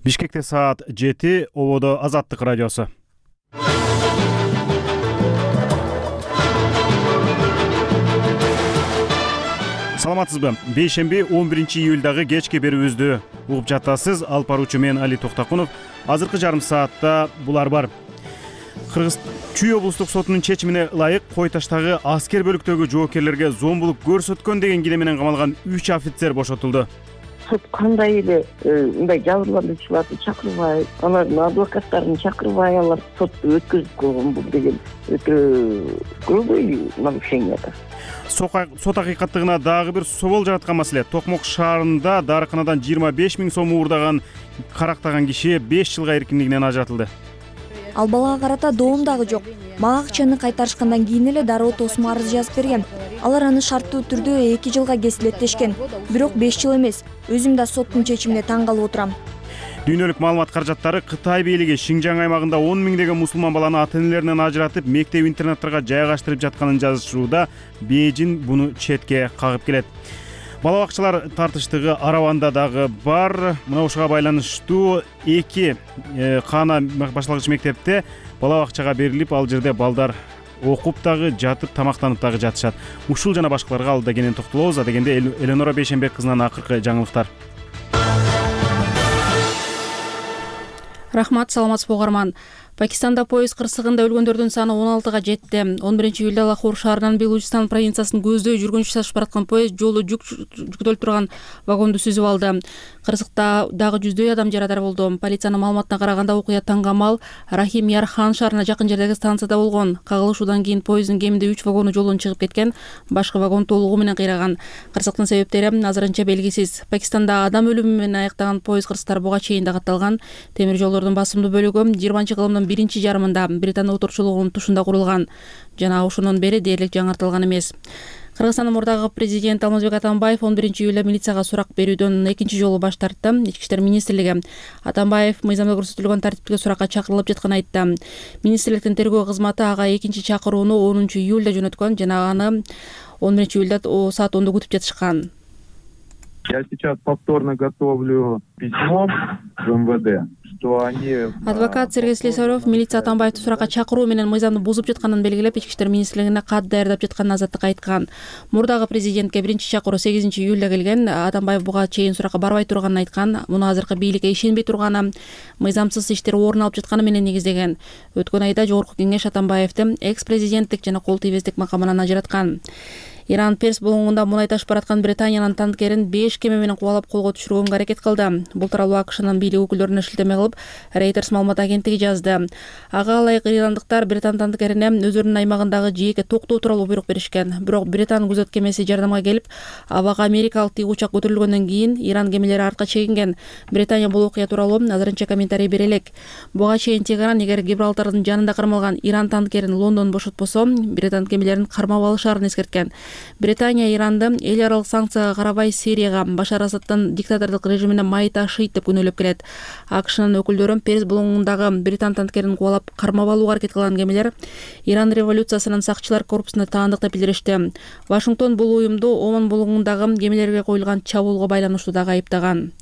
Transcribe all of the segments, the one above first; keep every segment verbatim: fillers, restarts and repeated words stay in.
Бишкекте саат жети, ободо Азаттык радиосу. Саламатсызбы? Бейшемби он биринчи июлдагы кечки берүүбүздү угуп жатасыз. Алып баруучу мен Али Токтакунов. Азыркы жарым саатта булар бар. Кыргыз Чүй облустук сотунун чечимине ылайык Кой Таштагы аскер бөлүктөгү жоокерлерге зомбулук көрсөткөн деген кире менен камалган үч офицер бошотулду. Сот кандай эле мындай жабырлануучуларды чакырбай, алардын адвокаттарын чакырбай алар сотту өткөзүп койгон, бул деген өтө грубый нарушение да. Сот акыйкаттыгына дагы бир собол жараткан маселе. Токмок шаарында дарыканадан жыйырма беш миң сом уурдаган карактаган киши беш жылга эркиндигинен ажыратылды. Ал балага карата доом дагы жок. Мага акчаны кайтарышкандан кийин эле дароо тосмо арыз жазып берген. Алар аны шарттуу түрдө эки жылга кесилеттешкен. Бирок беш жыл эмес. Өзүм да соттун чечимине таң калып отурам. Дүйнөлүк маалымат каражаттары Кытай бийлиги Шинжаң аймагында он миңдеген мусулман баланы ата-энелеринен ажыратып, мектеп-интернаттарга жайгаштырып жатканын жазышууда. Бейжин буну четке кагып келет. Бала бакчалар тартыштыгы Араванда дагы бар. Мына ушуга байланыштуу эки Кана башталгыч мектепте бала бакчага берилип, ал жерде балдар окуп дагы жатып, тамактанып дагы жатышат. Ушул жана башкаларга алда кенен токтолобуз. Адегенде Эленора Бейшембек кызынан акыркы жаңылыктар. Рахмат, саламатсызбы угарман. Пакистанда поезд кырсыгында өлгөндөрдүн саны он алтыга жетти. он биринчи июлда Лахор шаарынан Белучистан провинциясын көздөй жүргүнчү ташып бараткан поезд жолу жүк жүктөлүп турган вагонду сүзүп алды. Кырсыкта дагы жүздөй адам жарадар болду. Полициянын маалыматына караганда окуя Тангамал Рахим Ярхан шаарына жакын жердеги станцияда болгон. Кагылышуудан кийин поезддин кеминде үч вагону жолдон чыгып кеткен, башка вагон толугу менен кыйраган. Кырсыктын себептери азырынча белгисиз. Пакистанда адам өлүмү менен аяктаган поезд кырсыктар буга чейин да катталган. Темир жолдордун басымдуу бөлүгү жыйырманчы кылымдын биринчи жарымында Британия отурчулугунун тушунда курулган жана ошондон бери дээрлик жаңыртылган эмес. Кыргызстандын мурдагы президент Алмазбек Атамбаев он биринчи июлда милицияга сурак берүүдөн экинчи жолу баш тартты. Ички иштер министрлиги Атамбаев мыйзамда көрсөтүлгөн тартиптик суракка чакырылып жатканын айтты. Министрликтин тергөө кызматы ага экинчи чакырууну онунчу июлда жөнөткөн жана аны он биринчи июлда саат ондо күтүп жатышкан. Я сейчас повторно готовлю письмо в эм вэ дэ. Адвокат Сергей Слесарев милиция Атамбаевди суракка чакыруу менен мыйзамды бузуп жатканын белгилеп, ички иштер министрлигине кат даярдап жатканын Азаттыкка айткан. Мурдагы президентке биринчи чакыруу сегизинчи июлда келген. Атамбаев буга чейин суракка барбай турганын айткан. Муну азыркы бийликке ишенбей турганы, мыйзамсыз иштер орун алып жатканы менен негиздеген. Өткөн айда Жогорку кеңеш Атамбаевди экс-президенттик жана кол тийбестик макамынан ажыраткан. Иран Перс булуңунда мунай ташып бараткан Британиянын танкерин беш кеме менен кубалап колго түшүргөнгө аракет кылды. Бул тууралуу АКШнын бийлик өкүлдөрүнө шилтеме кылып, Reuters маалымат агенттиги жазды. Ага ылайык ирандыктар Британ танкерине өзүнүн аймагындагы жээкке токтоо тууралуу буйрук беришкен. Бирок Британ күзөт кемеси жардамга келип, абага америкалык тик учак көтөрүлгөндөн кийин Иран кемелери артка чегинген. Британия бул окуя тууралуу азырынча комментарий бере элек. Буга чейин Тегеран эгер Гибралтардын жанында кармалган Иран танкерин Лондон бошотпосо, Британ кемелерин кармап алышаарын эскерткен. Британия Иранды эл аралык санкцияга карабай Сирияга Башар Асадтын диктатордук режимине май ташыйт деп күнөөлөп келет. АКШнын өкүлдөрү Перс булуңундагы Британ танкерин кубалап кармап алууга аракет кылган кемелер Иран революциясынын сакчылар корпусуна таандык деп билдиришти. Вашингтон бул уюмду Оман булуңундагы кемелерге коюлган чабуулга байланыштуу дагы айыптаган.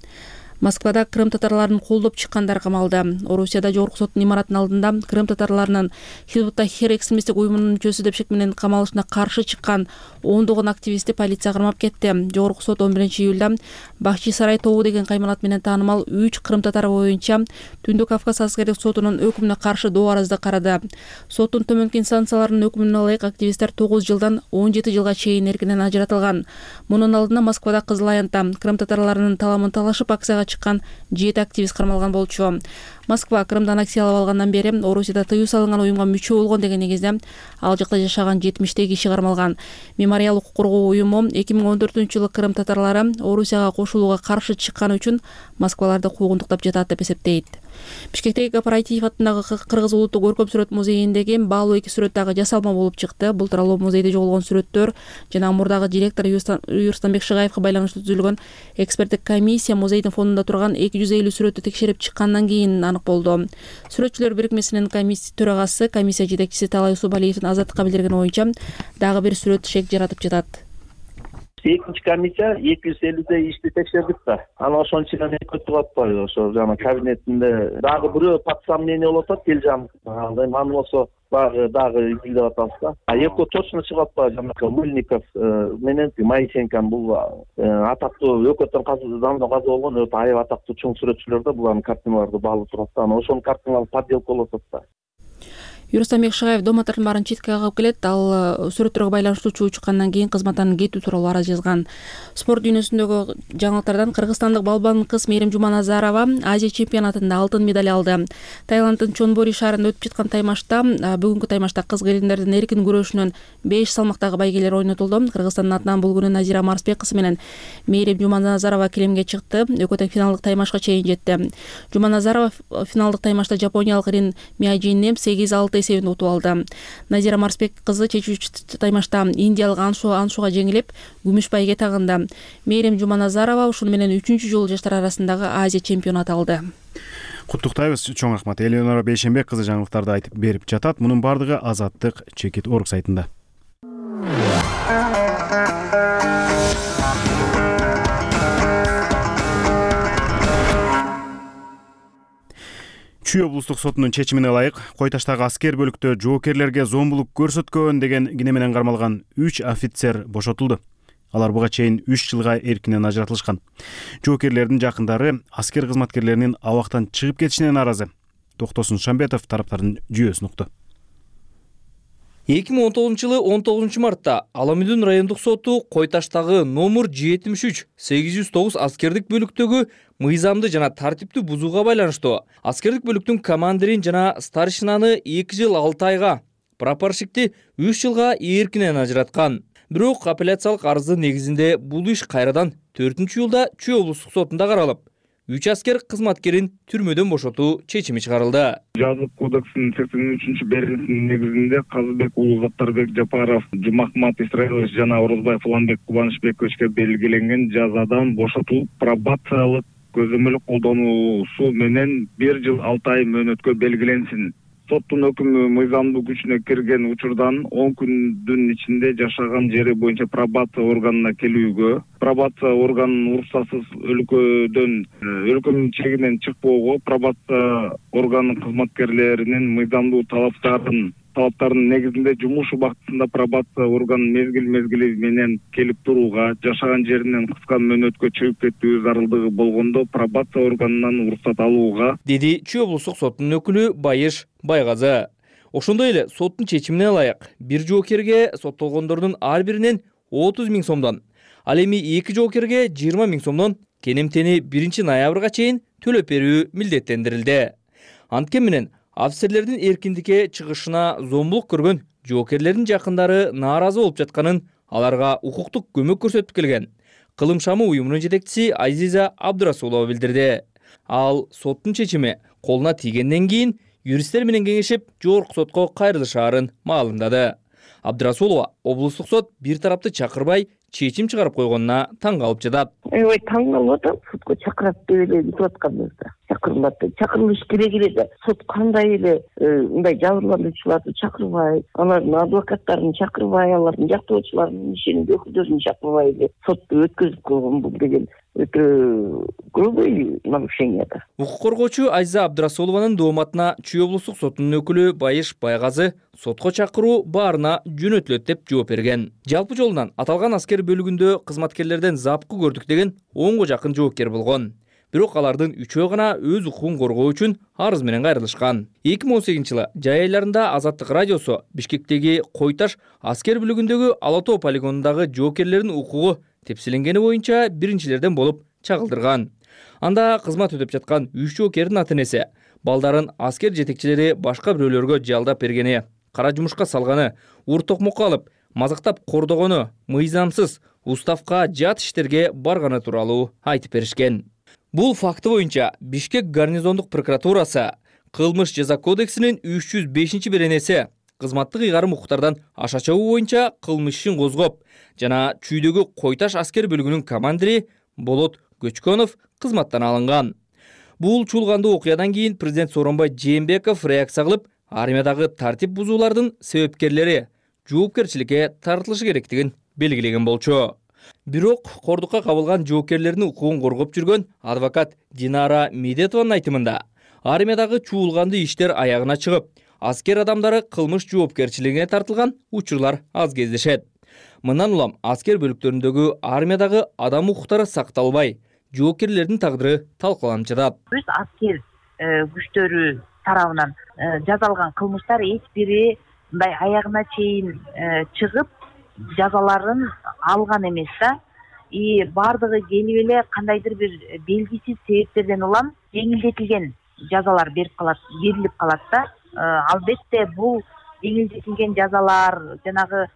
Москвада крым татарларын колдоп чыккандар камалды. Орусияда Жогорку соттун имаратынын алдында крым татарларынын Хизбут-Тахрир экстремисттик уюмунун мүчөсү деп шек менен камалышына каршы чыккан ондогон активистти полиция кармап кетти. Жогорку сот он биринчи июлда Бахчи Сарай тобу деген кайманат менен таанымал үч крым татары боюнча Түндүк Кавказ аскердик сотунун өкүмүнө каршы доо арызды карады. Соттун төмөнкү инстанцияларынын өкүмүнө ылайык активисттер тогуз жылдан он жети жылга чейин эркинен ажыратылган. Мунун алдында Москвада Кызыл Аянтта крым татарларынын таламын талашып акцияга чыккан жети активист кармалган болчу. Москва Крымдан акциялап алгандан бери Орусияда тыюу салынган уюмга мүчө болгон деген негизде ал жакта жашаган жетимиштей киши кармалган. Мемориал укук коргоо уюму эки миң он төртүнчү жылы крым татарлары Орусияга кошулууга каршы чыкканы үчүн Москваларды куугунтуктап жатат деп эсептейт. Бишкектеги Кооператив атындагы Кыргыз улуттук көркөм сүрөт музейиндеги баалуу эки сүрөт дагы жасалма болуп чыкты. Бул тууралуу музейде жоголгон сүрөттөр жана мурдагы директор Юрстанбек Шыгаевга байланыштуу түзүлгөн эксперттик комиссия музейдин фондунда турган эки жүз элүү сүрөттү текшерип чыккандан кийин анык болду. Сүрөтчүлөр бирикмесинин комиссия төрагасы, комиссия жетекчиси Талай Усубалиевдин Азаттыкка билдирген оюнча дагы бир сүрөт шек жаратып жатат. Экинчи комиссия эки жүз элүүдөй ишти текшердик да. Анан ошонун ичинен өтүп атпайбы ошо жана кабинетинде дагы бирөө подсомнение болуп атат Элжан. Андай аны болсо дагы дагы изилдеп атабыз да. А экөө точно чыгып атпайбы жанакы Мыльников менен Моисенкон бул атактуу өкөттөн казы замдан каза болгон өтө аябай атактуу чоң сүрөтчүлөр да, булардын картиналарды баалып турат да. Анан ошонун картиналары подделка болуп атат да. Юрустам Бекшагаев дооматтардын баарын четке кагып келет. Ал сүрөттөргө байланыштуу чуу чыккандан кийин кызматтан кетүү тууралуу арыз жазган. Спорт дүйнөсүндөгү жаңылыктардан кыргызстандык балбан кыз Мээрим Жуманазарова Азия чемпионатында алтын медаль алды. Таиланддын Чонбури шаарында өтүп жаткан таймашта бүгүнкү таймашта кыз келиндердин эркин күрөшүнөн беш салмактагы байгелер ойнотулду. Кыргызстандын атынан бул күнү Назира Марсбек кызы менен Мээрим Жуманазарова килемге чыкты. Экөө тең финалдык таймашка чейин жетти. Жуманазарова финалдык таймашта жапониялык Рин Мияджини сегиз алты эсебинде утуп алды. Назира Марсбек кызы чечүүчү таймашта индиялык Аншу Аншуга жеңилип, күмүш байге тагынды. Мээрим Жуманазарова ушуну менен үчүнчү жолу жаштар арасындагы Азия чемпионаты алды. Куттуктайбыз, чоң рахмат. Элеонора Бейшенбек кызы жаңылыктарды айтып берип жатат. Мунун бардыгы Азаттык чекит орг сайтында. Чүй облустук сотунун чечимине ылайык Кой Таштагы аскер бөлүктө жоокерлерге зомбулук көрсөткөн деген кине менен кармалган үч офицер бошотулду. Алар буга чейин үч жылга эркинен ажыратылышкан. Жоокерлердин жакындары аскер кызматкерлеринин абактан чыгып кетишине нааразы. Токтосун Шамбетов тараптардын жүйөсүн укту. эки миң он тогузунчу жылы он тогузунчу мартта Ала Мүдүн райондук соту Кой Таштагы номер жетимиш үч сегиз жүз тогуз аскердик бөлүктөгү мыйзамды жана тартипти бузууга байланыштуу аскердик бөлүктүн командирин жана старшинаны эки жыл алты айга, прапорщикти үч жылга эркинен ажыраткан. Бирок апелляциялык арыздын негизинде бул иш кайрадан төртүнчү июлда Чүй облустук сотунда каралып, үч аскер кызматкерин түрмөдөн бошотуу чечими чыгарылды. Жазык кодексинин сексен үчүнчү беренесинин негизинде Казыбек уулу Заттарбек Жапаров, Жумахмат Исраилович жана Орозбаев Уланбек Кубанычбековичке белгиленген жазадан бошотулуп, пробациялык көзөмөл колдонуусу менен бир жыл алты ай мөөнөткө белгиленсин. Соттун өкүмү мыйзамдуу күчүнө кирген учурдан он күндүн ичинде жашаган жери боюнча пробация органына келүүгө, пробация органынын уруксатсыз өлкөдөн өлкөнүн чегинен чыкпоого, пробация органынын кызматкерлеринин мыйзамдуу талаптарын талаптарынын негизинде жумуш убактысында пробация органын мезгил мезгили менен келип турууга, жашаган жеринен кыска мөөнөткө чыгып кетүү зарылдыгы болгондо пробация органынан уруксат алууга, деди Чүй облустук сотунун өкүлү Байыш Байгазы. Ошондой эле соттун чечимине ылайык бир жоокерге соттолгондордун ар биринен отуз миң сомдон, ал эми эки жоокерге жыйырма миң сомдон кенемтени биринчи ноябрга чейин төлөп берүү милдеттендирилди. Анткени менен офицерлердин эркиндикке чыгышына зомбулук көргөн жоокерлердин жакындары нааразы болуп жатканын аларга укуктук көмөк көрсөтүп келген Кылым шамы уюмунун жетекчиси Азиза Абдурасулова билдирди. Ал соттун чечими колуна тийгенден кийин юристтер менен кеңешип жогорку сотко кайрылышаарын маалымдады. Абдурасулова облустук сот бир тарапты чакырбай чечим чыгарып койгонуна таң калып жатат. Ой, таң калып атам, сотко чакырат деп эле бүтүп атканыбызда. Чакырмады. Чакырылыш керек эле. Сот кандай эле мындай жабырлануучуларды чакырбай, алардын адвокаттарын чакырбай, алардын жактоочуларын, ишеним өкүлдөрүн чакырбай эле сотто өткөзүп койгон бул деген өтө грубый нарушение да. Укук коргоочу Азиза Абдурасулованын дооматына Чүй облустук сотунун өкүлү Байыш Байгазы сотко чакыруу баарына жөнөтүлөт деп жооп берген. Жалпы жолунан аталган аскер бөлүгүндө кызматкерлерден запкы көрдүк деген онго жакын жоокер болгон. Бирок алардын үчөө гана өз укугун коргоо үчүн арыз менен кайрылышкан. эки миң он сегизинчи жылы жай айларында Азаттык радиосу Бишкектеги Кой Таш аскер бөлүгүндөгү Ала Тоо полигонундагы жоокерлердин укугу тепсиленгени боюнча биринчилерден болуп чагылдырган. Анда кызмат өтөп жаткан үч жоокердин ата-энеси балдарын аскер жетекчилери башка бирөөлөргө жалдап бергени, кара жумушка салганы, ур токмокко алып, мазактап кордогону, мыйзамсыз уставка жат иштерге барганы тууралуу айтып беришкен. Бул факты боюнча Бишкек гарнизондук прокуратурасы Кылмыш жаза кодексинин үч жүз бешинчи беренеси кызматтык ыйгарым укуктардан аша чыгуу боюнча кылмыш ишин козгоп, жана Чүйдөгү Кой Таш аскер бөлүгүнүн командири Болот Көчкөнов кызматтан алынган. Бул чуулгандуу окуядан кийин президент Сооронбай Жээнбеков реакция кылып, армиядагы тартип бузуулардын себепкерлери жоопкерчиликке тартылышы керектигин белгилеген болчу. Бирок кордукка кабылган жоокерлердин укугун коргоп жүргөн адвокат Динара Медетованын айтымында армиядагы чуулганды иштер аягына чыгып, аскер адамдары кылмыш жоопкерчилигине тартылган учурлар аз кездешет. Мындан улам аскер бөлүктөрүндөгү армиядагы адам укуктары сакталбай, жоокерлердин тагдыры талкаланып жатат. Биз аскер күчтөрү тарабынан жазалган кылмыштар эч бири мындай аягына чейин чыгып жазаларын алган эмес да. И бардыгы келип эле кандайдыр бир белгисиз себептерден улам жеңилдетилген жазалар берип калат, берилип калат да. Албетте бул жеңилдетилген жазалар, жанагы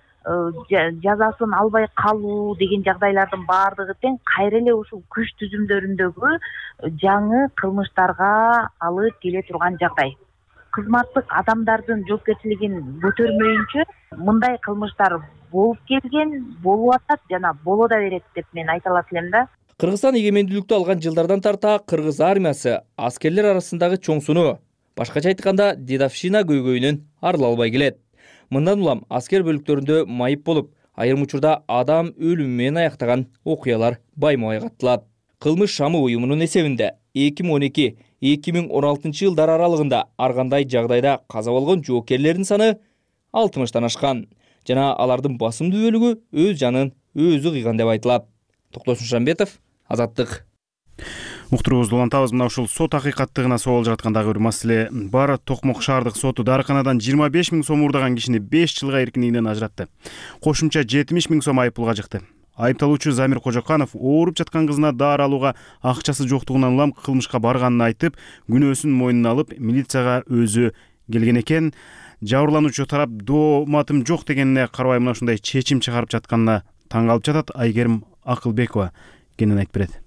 жазасын албай калуу деген жагдайлардын баардыгы тең кайра эле ушул күч түзүмдөрүндөгү жаңы кылмыштарга алып келе турган жагдай. Кызматтык адамдардын жоопкерчилигин көтөрмөйүнчө мындай кылмыштар болуп келген, болуп атат жана боло да берет деп мен айта алат элем да. Кыргызстан эгемендүүлүктү алган жылдардан тарта кыргыз армиясы аскерлер арасындагы чоң суноо, башкача айтканда дедовщина көйгөйүнөн арыла албай келет. Мындан улам аскер бөлүктөрүндө майып болуп, айрым учурда адам өлүмү менен аяктаган окуялар байма-бай катталат. Кылмыш шамы уюмунун эсебинде эки миң он эки — эки миң он алтынчы жылдар аралыгында ар кандай жагдайда каза болгон жоокерлердин саны алтымыштан ашкан жана алардын басымдуу бөлүгү өз жанын өзү кыйган деп айтылат. Токтосун Шамбетов, Азаттык. Уктуруубузду улантабыз. Мына ушул сот акыйкаттыгына сооло жаткан дагы бир маселе бар. Токмок шаардык соту дарыканадан жыйырма беш миң сом уурдаган кишини беш жылга эркиндигинен ажыратты. Кошумча жетимиш миң сом айыппулга жыкты. Айыпталуучу Замир Кожоканов ооруп жаткан кызына дары алууга акчасы жоктугунан улам кылмышка барганын айтып, күнөөсүн мойнуна алып, милицияга өзү келген экен. Жабырлануучу тарап дооматым жок дегенине карабай мына ушундай чечим чыгарып жатканына таң калып жатат. Айгерим Акылбекова кенен айтып берет.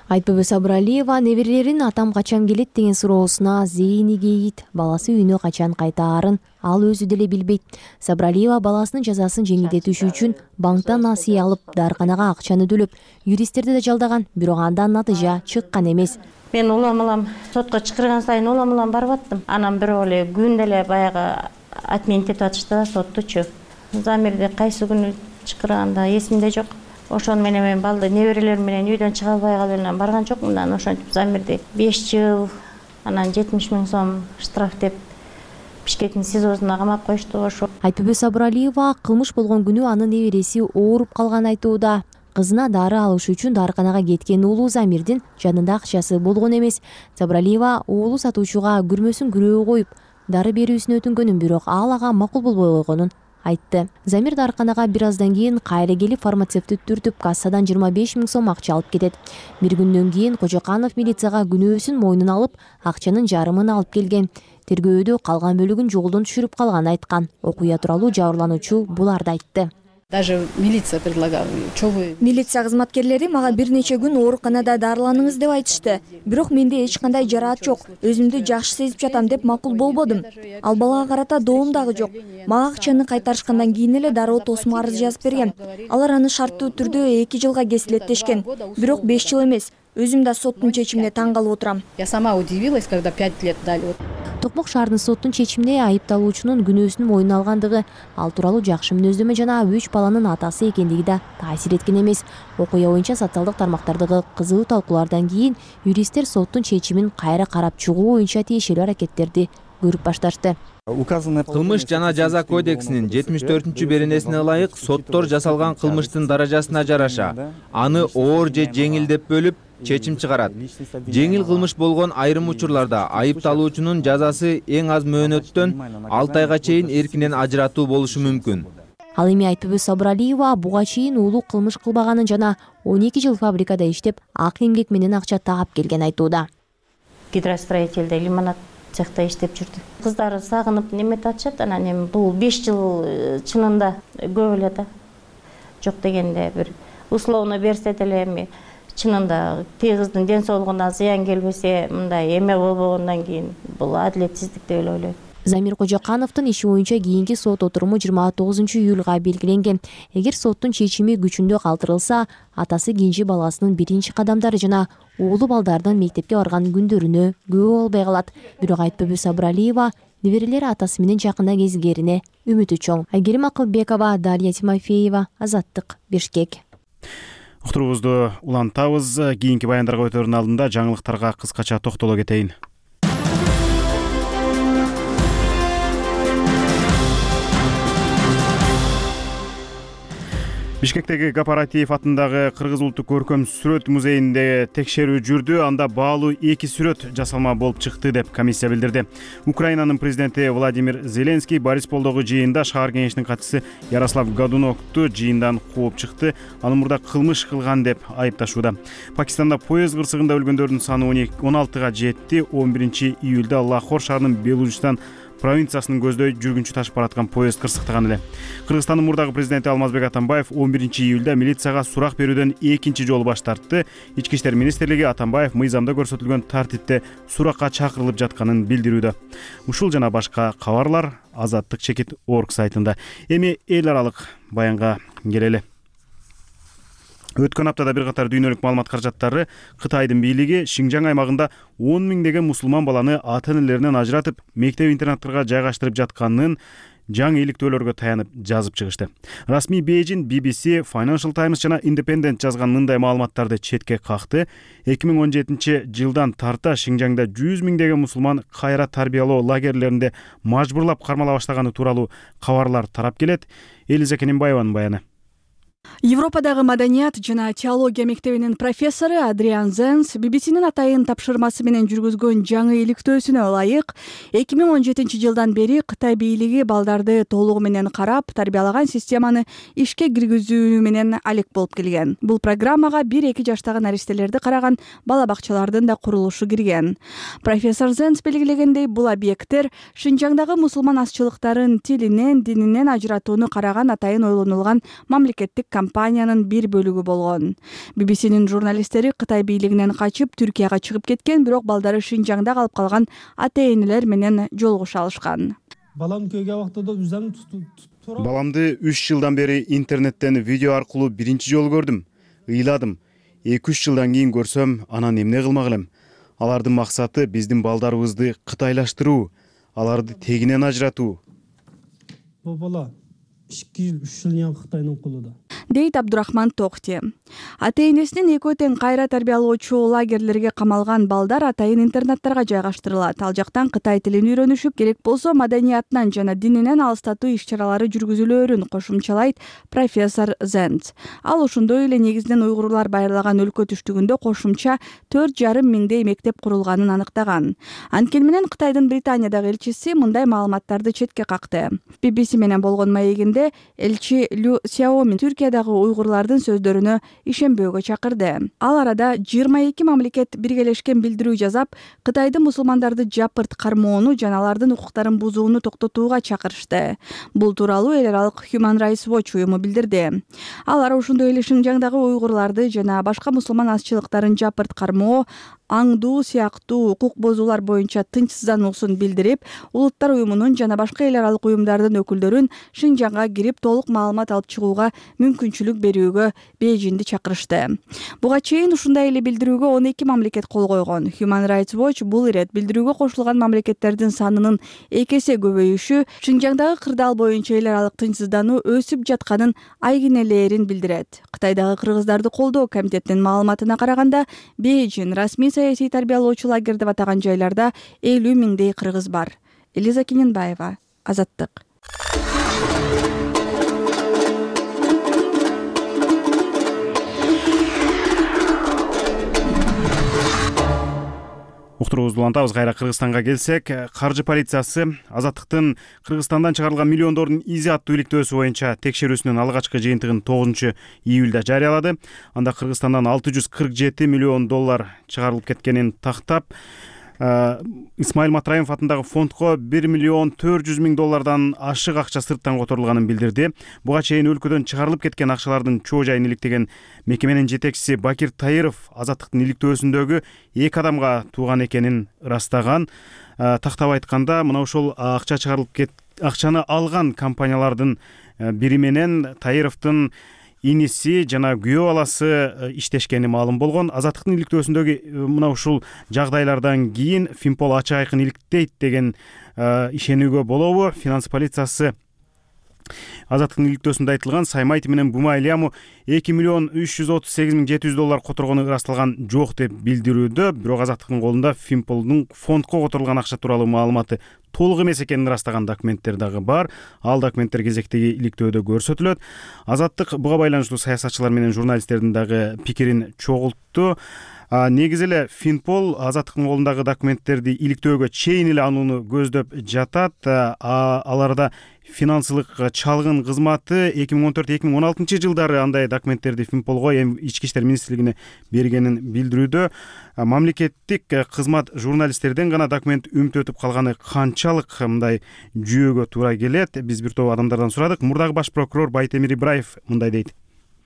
Айтпөбө Сабыралиева неберелерин атам качан келет деген суроосуна зейини кейит. Баласы үйүнө качан кайтаарын ал өзү деле билбейт. Сабыралиева баласынын жазасын жеңилдетүү үчүн банктан насыя алып, дарканага акчаны төлөп, юристтерди да жалдаган, бирок андан натыйжа чыккан эмес. Мен улам-улам сотко чакырган сайын улам-улам барып аттым. Анан бирок эле күн деле баягы отменить этип атышты да соттучу. Замирди кайсы күнү чакырганда эсимде жок. Ошон менен мен балды неберелерим менен үйдөн чыга албай калып барган жокмун. Анан ошентип Замирди беш жыл, анан жетимиш миң сом штраф деп Бишкектин СИЗОсуна камап коюшту. Ошо. Айтпөбө Сабыралиева кылмыш болгон күнү анын небереси ооруп калганын айтууда. Кызына дары алыш үчүн дарканага кеткен уулу Замирдин жанында акчасы болгон эмес. Сабыралиева уулу сатуучуга күрмөсүн күрөөгө коюп, дары берүүсүн өтүнгөнүн, бирок ал ага макул болбой койгонун айтты. Замир дарканага бир аздан кийин кайра келип фармацевтти түртүп кассадан жыйырма беш миң сом акча алып кетет. Бир күндөн кийин Кожоканов милицияга күнөөсүн мойнуна алып, акчанын жарымын алып келген. Тергөөдө калган бөлүгүн жолдон түшүрүп калганын айткан. Окуя тууралуу жабырлануучу буларды айтты. Даже милиция предлагала. Милиция кызматкерлери мага бир нече күн ооруканада дарыланыңыз деп айтышты. Бирок менде эч кандай жараат жок. Өзүмдү жакшы сезип жатам деп макул болбодум. Ал балага карата доом дагы жок. Мага акчаны кайтарышкандан кийин эле дароо тосмо арыз жазып берген. Алар аны шарттуу түрдө эки жылга кесилеттешкен. Бирок беш жыл эмес. Өзүм да соттун чечимине таң калып отурам. Я сама удивилась, когда пять лет дали. Токмок шаардын соттун чечимине айыпталуучунун күнөөсүн мойнуна алгандыгы, ал тууралуу жакшы мүнөздөмө жана үч баланын атасы экендиги да таасир эткен эмес. Окуя боюнча социалдык тармактардагы кызуу талкуулардан кийин юристтер соттун чечимин кайра карап чыгуу боюнча тиешелүү аракеттерди көрүп башташты. Кылмыш жана жаза кодексинин жетимиш төртүнчү беренесине ылайык соттор жасалган кылмыштын даражасына жараша аны оор же жеңил деп бөлүп чечим чыгарат. Жеңил кылмыш болгон айрым учурларда айыпталуучунун жазасы эң аз мөөнөттөн алты айга чейин эркинен ажыратуу болушу мүмкүн. Ал эми Айтпөбө Сабыралиева буга чейин уулу кылмыш кылбаганын жана он эки жыл фабрикада иштеп, ак эмгек менен акча таап келген айтууда. Гидростроительде лимонад цехта иштеп жүрдү. Кыздары сагынып неметип атышат, анан эми бул беш жыл чынында көп эле да. Жок дегенде бир условно берсе деле эми чынында тээ кыздын ден соолугуна зыян келбесе, мындай эме болбогондон кийин бул адилетсиздик деп ойлойм. Замир Кожокановдун иши боюнча кийинки сот отуруму жыйырма тогузунчу июлга белгиленген. Эгер соттун чечими күчүндө калтырылса, атасы кенже баласынын биринчи кадамдары жана уулу балдардын мектепке барган күндөрүнө күбө болбой калат. Бирок Айтпөбө Сабыралиева неберелери атасы менен жакында кезигерине үмүтү чоң. Айгерим Акылбекова, Дарья Тимофеева, Азаттык, Бишкек. Уктуруубузду улантабыз. Кийинки баяндарга өтөрүнүн алдында жаңылыктарга кыскача токтоло кетейин. Бишкектеги Кооператив атындагы Кыргыз улуттук көркөм сүрөт музейинде текшерүү жүрдү. Анда баалуу эки сүрөт жасалма болуп чыкты деп комиссия билдирди. Украинанын президенти Владимир Зеленский Борисполдогу жыйында шаар кеңешинин катчысы Ярослав Годунокту жыйындан кууп чыкты. Аны мурда кылмыш кылган деп айыпташууда. Пакистанда поезд кырсыгында өлгөндөрдүн саны он алтыга жетти. он биринчи июлда Лахор шаарынын Белужистан провинциясынын көздөй жүргүнчү ташып бараткан поезд кырсыктаган эле. Кыргызстандын мурдагы президенти Алмазбек Атамбаев он биринчи июлда милицияга сурак берүүдөн экинчи жолу баш тартты. Ички иштер министрлиги Атамбаев мыйзамда көрсөтүлгөн тартипте суракка чакырылып жатканын билдирүүдө. Ушул жана башка кабарлар Азаттык чекит орг сайтында. Эми эл аралык баянга келели. Өткөн аптада бир катар дүйнөлүк маалымат каражаттары Кытайдын бийлиги Шинжаң аймагында он миңдеген мусулман баланы ата-энелеринен ажыратып, мектеп-интернаттарга жайгаштырып жатканын жаңы иликтөөлөргө таянып жазып чыгышты. Расмий Бейжин, би би си, Financial Times жана Independent жазган мындай маалыматтарды четке какты. эки миң он жетинчи жылдан тарта Шинжаңда жүз миңдеген мусулман кайра тарбиялоо лагерлеринде мажбурлап кармала баштаганы тууралуу кабарлар тарап келет. Элиза Кененбаеванын баяны. Европадагы маданият жана теология мектебинин профессору Адриан Зенс би би синин атайын тапшырмасы менен жүргүзгөн жаңы иликтөөсүнө ылайык эки миң он жетинчи жылдан бери Кытай бийлиги балдарды толугу менен карап, тарбиялаган системаны ишке киргизүү менен алек болуп келген. Бул программага бир-эки жаштагы наристелерди караган бала бакчалардын да курулушу кирген. Профессор Зенс белгилегендей, бул объекттер Шинжаңдагы мусулман азчылыктарын тилинен, дининен ажыратууну караган атайын ойлонулган мамлекеттик компаниянын бир бөлүгү болгон. би би синин журналисттери Кытай бийлигинен качып Түркияга чыгып кеткен, бирок балдары Шинжаңда калып калган ата-энелер менен жолугуша алышкан. Балам күйгө убактыда үзөм Баламды үч жылдан бери интернеттен видео аркылуу биринчи жолу көрдүм. Ыйладым. эки үч жылдан кийин көрсөм, анан эмне кылмак элем? Алардын максаты биздин балдарыбызды кытайлаштыруу, аларды тегинен ажыратуу. Бул бала эки жыл, үч жыл Кытайдын колунда. Дейт Абдурахман Токти. Ата-энесинин экөө тең кайра тарбиялоочу лагерлерге камалган балдар атайын интернаттарга жайгаштырылат. Ал жактан Кытай тилин үйрөнүшүп, керек болсо маданиятынан жана дининен алыстатуу иш-чаралары жүргүзүлөөрүн кошумчалайт профессор Зенц. Ал ошондой эле негизинен уйгурлар байырлаган өлкө түштүгүндө кошумча төрт жарым миңдей мектеп курулганын аныктаган. Анткени менен Кытайдын Британиядагы элчиси мындай маалыматтарды четке какты. би би си менен болгон маегинде элчи Лю Сяомин Түркиядагы уйгурлардын сөздөрүнө ишенбөөгө чакырды. Ал арада жыйырма эки мамлекет биргелешкен билдирүү жасап, Кытайдын мусулмандарды жапырт кармоону жана алардын укуктарын бузууну токтотууга чакырышты. Бул тууралуу эл аралык Human Rights Watch уюму билдирди. Алар ошондой эле Шинжаңдагы уйгурларды жана башка мусулман азчылыктарын жапырт кармоо, аңдуу сыяктуу укук бузуулар боюнча тынчсыздануусун билдирип, улуттар уюмунун жана башка эл аралык уюмдардын өкүлдөрүн Шинжаңга кирип толук маалымат алып чыгууга мүмкүнчүлүк берүүгө Бейжинди чакырышты. Буга чейин ушундай эле билдирүүгө он эки мамлекет кол койгон. Human Rights Watch бул ирет билдирүүгө кошулган мамлекеттердин санынын эки эсе көбөйүшү Шинжаңдагы кырдаал боюнча эл аралык тынчсыздануу өсүп жатканын айгинелээрин билдирет. Кытайдагы кыргыздарды колдоо комитетинин маалыматына караганда, Бейжин расмий саясий тарбиялоочу лагерь деп атаган жайларда элүү миңдей кыргыз бар. Элиза Кененбаева, Азаттык. Уктуруубузду улантабыз. Кайра Кыргызстанга келсек, каржы полициясы Азаттыктын Кыргызстандан чыгарылган миллиондордун изи аттуу иликтөөсү боюнча текшерүүсүнүн алгачкы жыйынтыгын тогузунчу июлда жарыялады. Анда Кыргызстандан алты жүз кырк жети миллион доллар чыгарылып кеткенин тактап, Исмаил Матраимов атындагы фондко бир миллион төрт жүз миң доллардан ашык акча сырттан которулганын билдирди. Буга чейин өлкөдөн чыгарылып кеткен акчалардын чоо жайын иликтеген мекеменин жетекчиси Бакир Таиров Азаттыктын иликтөөсүндөгү эки адамга тууган экенин ырастаган. Тактап айтканда, мына ушул акча чыгарылып кет акчаны алган компаниялардын бири менен Таировдун иниси жана күйөө баласы иштешкени маалым болгон. Азаттыктын иликтөөсүндөгү мына ушул жагдайлардан кийин Финпол ачык айкын иликтейт деген ишенүүгө болобу? Финанс полициясы Азаттыктын иликтөөсүндө айтылган Саймайти менен Бумайляму эки миллион үч жүз отуз сегиз миң жети жүз доллар которгону ырасталган жок деп билдирүүдө, бирок Азаттыктын колунда Финполдун фондко которулган акча тууралуу маалыматы толук эмес экенин ырастаган документтер дагы бар. Ал документтер кезектеги иликтөөдө көрсөтүлөт. Азаттык буга байланыштуу саясатчылар менен журналисттердин дагы пикирин чогултту. Негизи эле Финпол Азаттыктын колундагы документтерди иликтөөгө чейин эле анууну көздөп жатат. Аларда финансылык чалгын кызматы эки миң он төрт эки миң он алтынчы жылдары андай документтерди Финполго эми ички иштер министрлигине бергенин билдирүүдө. Мамлекеттик кызмат журналисттерден гана документ үмүттөтүп калганы канчалык мындай жүйөгө туура келет? Биз бир топ адамдардан сурадык. Мурдагы баш прокурор Байтемир Ибраев мындай дейт.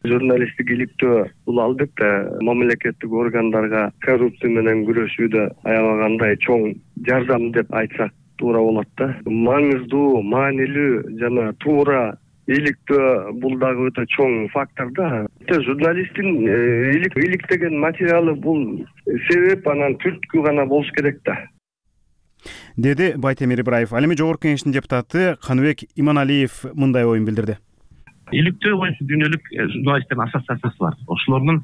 Журналисттик иликтөө бул албетте мамлекеттик органдарга коррупция менен күрөшүүдө аябагандай чоң жардам деп айтсак туура болот да. Маңыздуу, маанилүү жана туура иликтөө бул дагы өтө чоң фактор да. Журналисттин иликтеген материалы бул себеп, анан түрткү гана болуш керек да, деди Байтемир Ибраев. Ал эми Жогорку Кеңештин депутаты Каныбек Иманалиев мындай оюн билдирди. Иликтөө боюнча дүйнөлүк журналисттердин ассоциациясы бар. Ошолордун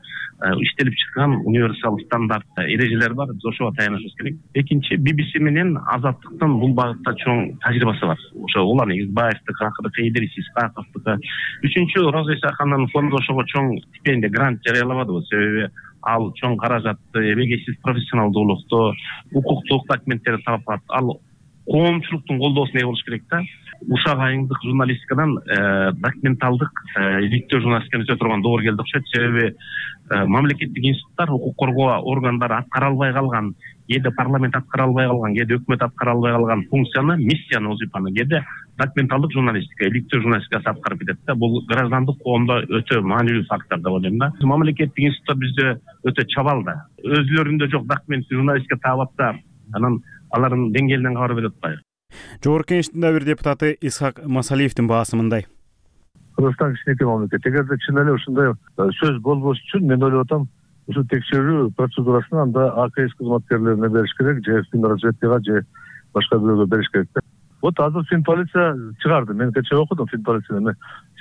иштелип чыккан универсал стандарт эрежелери бар. Биз ошого таянышыбыз керек. Экинчи, би би си менен Азаттыктын бул багытта чоң тажрыйбасы бар. Ошо улан Игизбаевдики, акыркы Идрис Исхаковдуку. Үчүнчү, Роза Исахановдун фонду ошого чоң стипендия, грант жарыялабадыбы. Себеби ал чоң каражатты, эбегейсиз профессионалдуулукту, укуктук документтерди таап, ал коомчулуктун колдоосуна ээ болуш керек да. Ушак айымдык журналистикадан документалдык иликтөө журналистиканы өтө турган доор келди окшойт. Себеби мамлекеттик институттар, укук коргоо органдары аткара албай калган, кээде парламент аткара албай калган, кээде өкмөт аткара албай калган функцияны, миссияны, вазифаны кээде документалдык журналистика, иликтөө журналистикасы аткарып кетет да. Бул граждандык коомдо өтө маанилүү фактор деп ойлойм да. Мамлекеттик институттар бизде өтө чабал да. Өзлөрүндө жок документтик журналистика таап атса, анан алардын деңгээлинен кабар берип атпайбы. Жогорку Кеңештин бир депутаты Исхак Масалиевдин баасы мындай. Кыргызстан кичинекей мамлекет. Эгерде чын эле ушундай сөз болбош үчүн мен ойлоп атам, ушу текшерүү процедурасын анда А К С кызматкерлерине бериш керек, же Финразведкага, же башка бирөөгө бериш керек. Вот азыр Финполиция чыгарды. Мен кечээ окудум Финполицияны,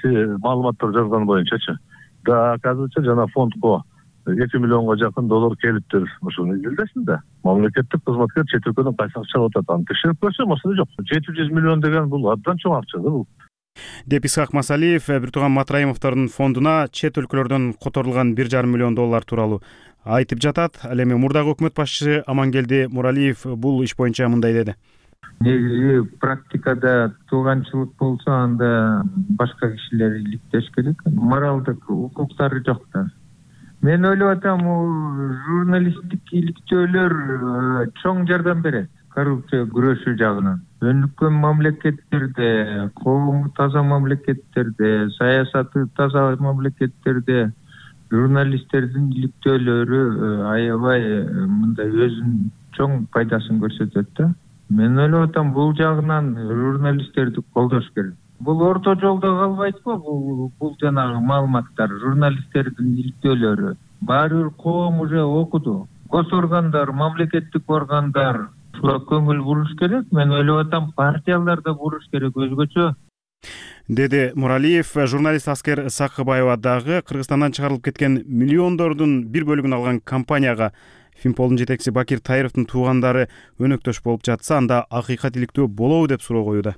маалыматтар жазган боюнчачы. Да, оказывается, жана фондко эки миллионго жакын доллар келиптир. Ошону изилдесин да. Мамлекеттик кызматкер чет өлкөдөн кайсы акча алып атат, аны текшерип көрсөм, ошондой жок. жети жүз миллион деген бул абдан чоң акча да бул. Деп Исхак Масалиев бир тууган Матраимовдордун фондуна чет өлкөлөрдөн которулган бир жарым миллион доллар тууралуу айтып жатат. Ал эми мурдагы өкмөт башчысы Амангелди Муралиев бул иш боюнча мындай деди. Негизи практикада тууганчылык болсо, анда башка кишилер иликтеш керек. Моралдык укуктары жок да. Мен ойлоп атам, журналисттик иликтөөлөр чоң жардам берет коррупция күрөшүү жагынан. Өнүккөн мамлекеттерде, коому таза мамлекеттерде, саясаты таза мамлекеттерде журналисттердин иликтөөлөрү аябай мындай өзүнүн чоң пайдасын көрсөтөт да. Мен ойлоп атам, бул жагынан журналисттерди колдош керек. Бул орто жолдо калбайт го, бул бул жанагы маалыматтар, журналисттердин иликтөөлөрү. Баары бир коом уже окуду. Госоргандар, мамлекеттик органдар ушуга көңүл буруш керек. Мен ойлоп атам, партиялар да буруш керек өзгөчө. Деди Муралиев. Журналист Аскер Сакыбаева дагы Кыргызстандан чыгарылып кеткен миллиондордун бир бөлүгүн алган компанияга Финполдун жетекчиси Бакир Таировдун туугандары өнөктөш болуп жатса, анда акыйкат иликтөө болобу деп суроо коюуда.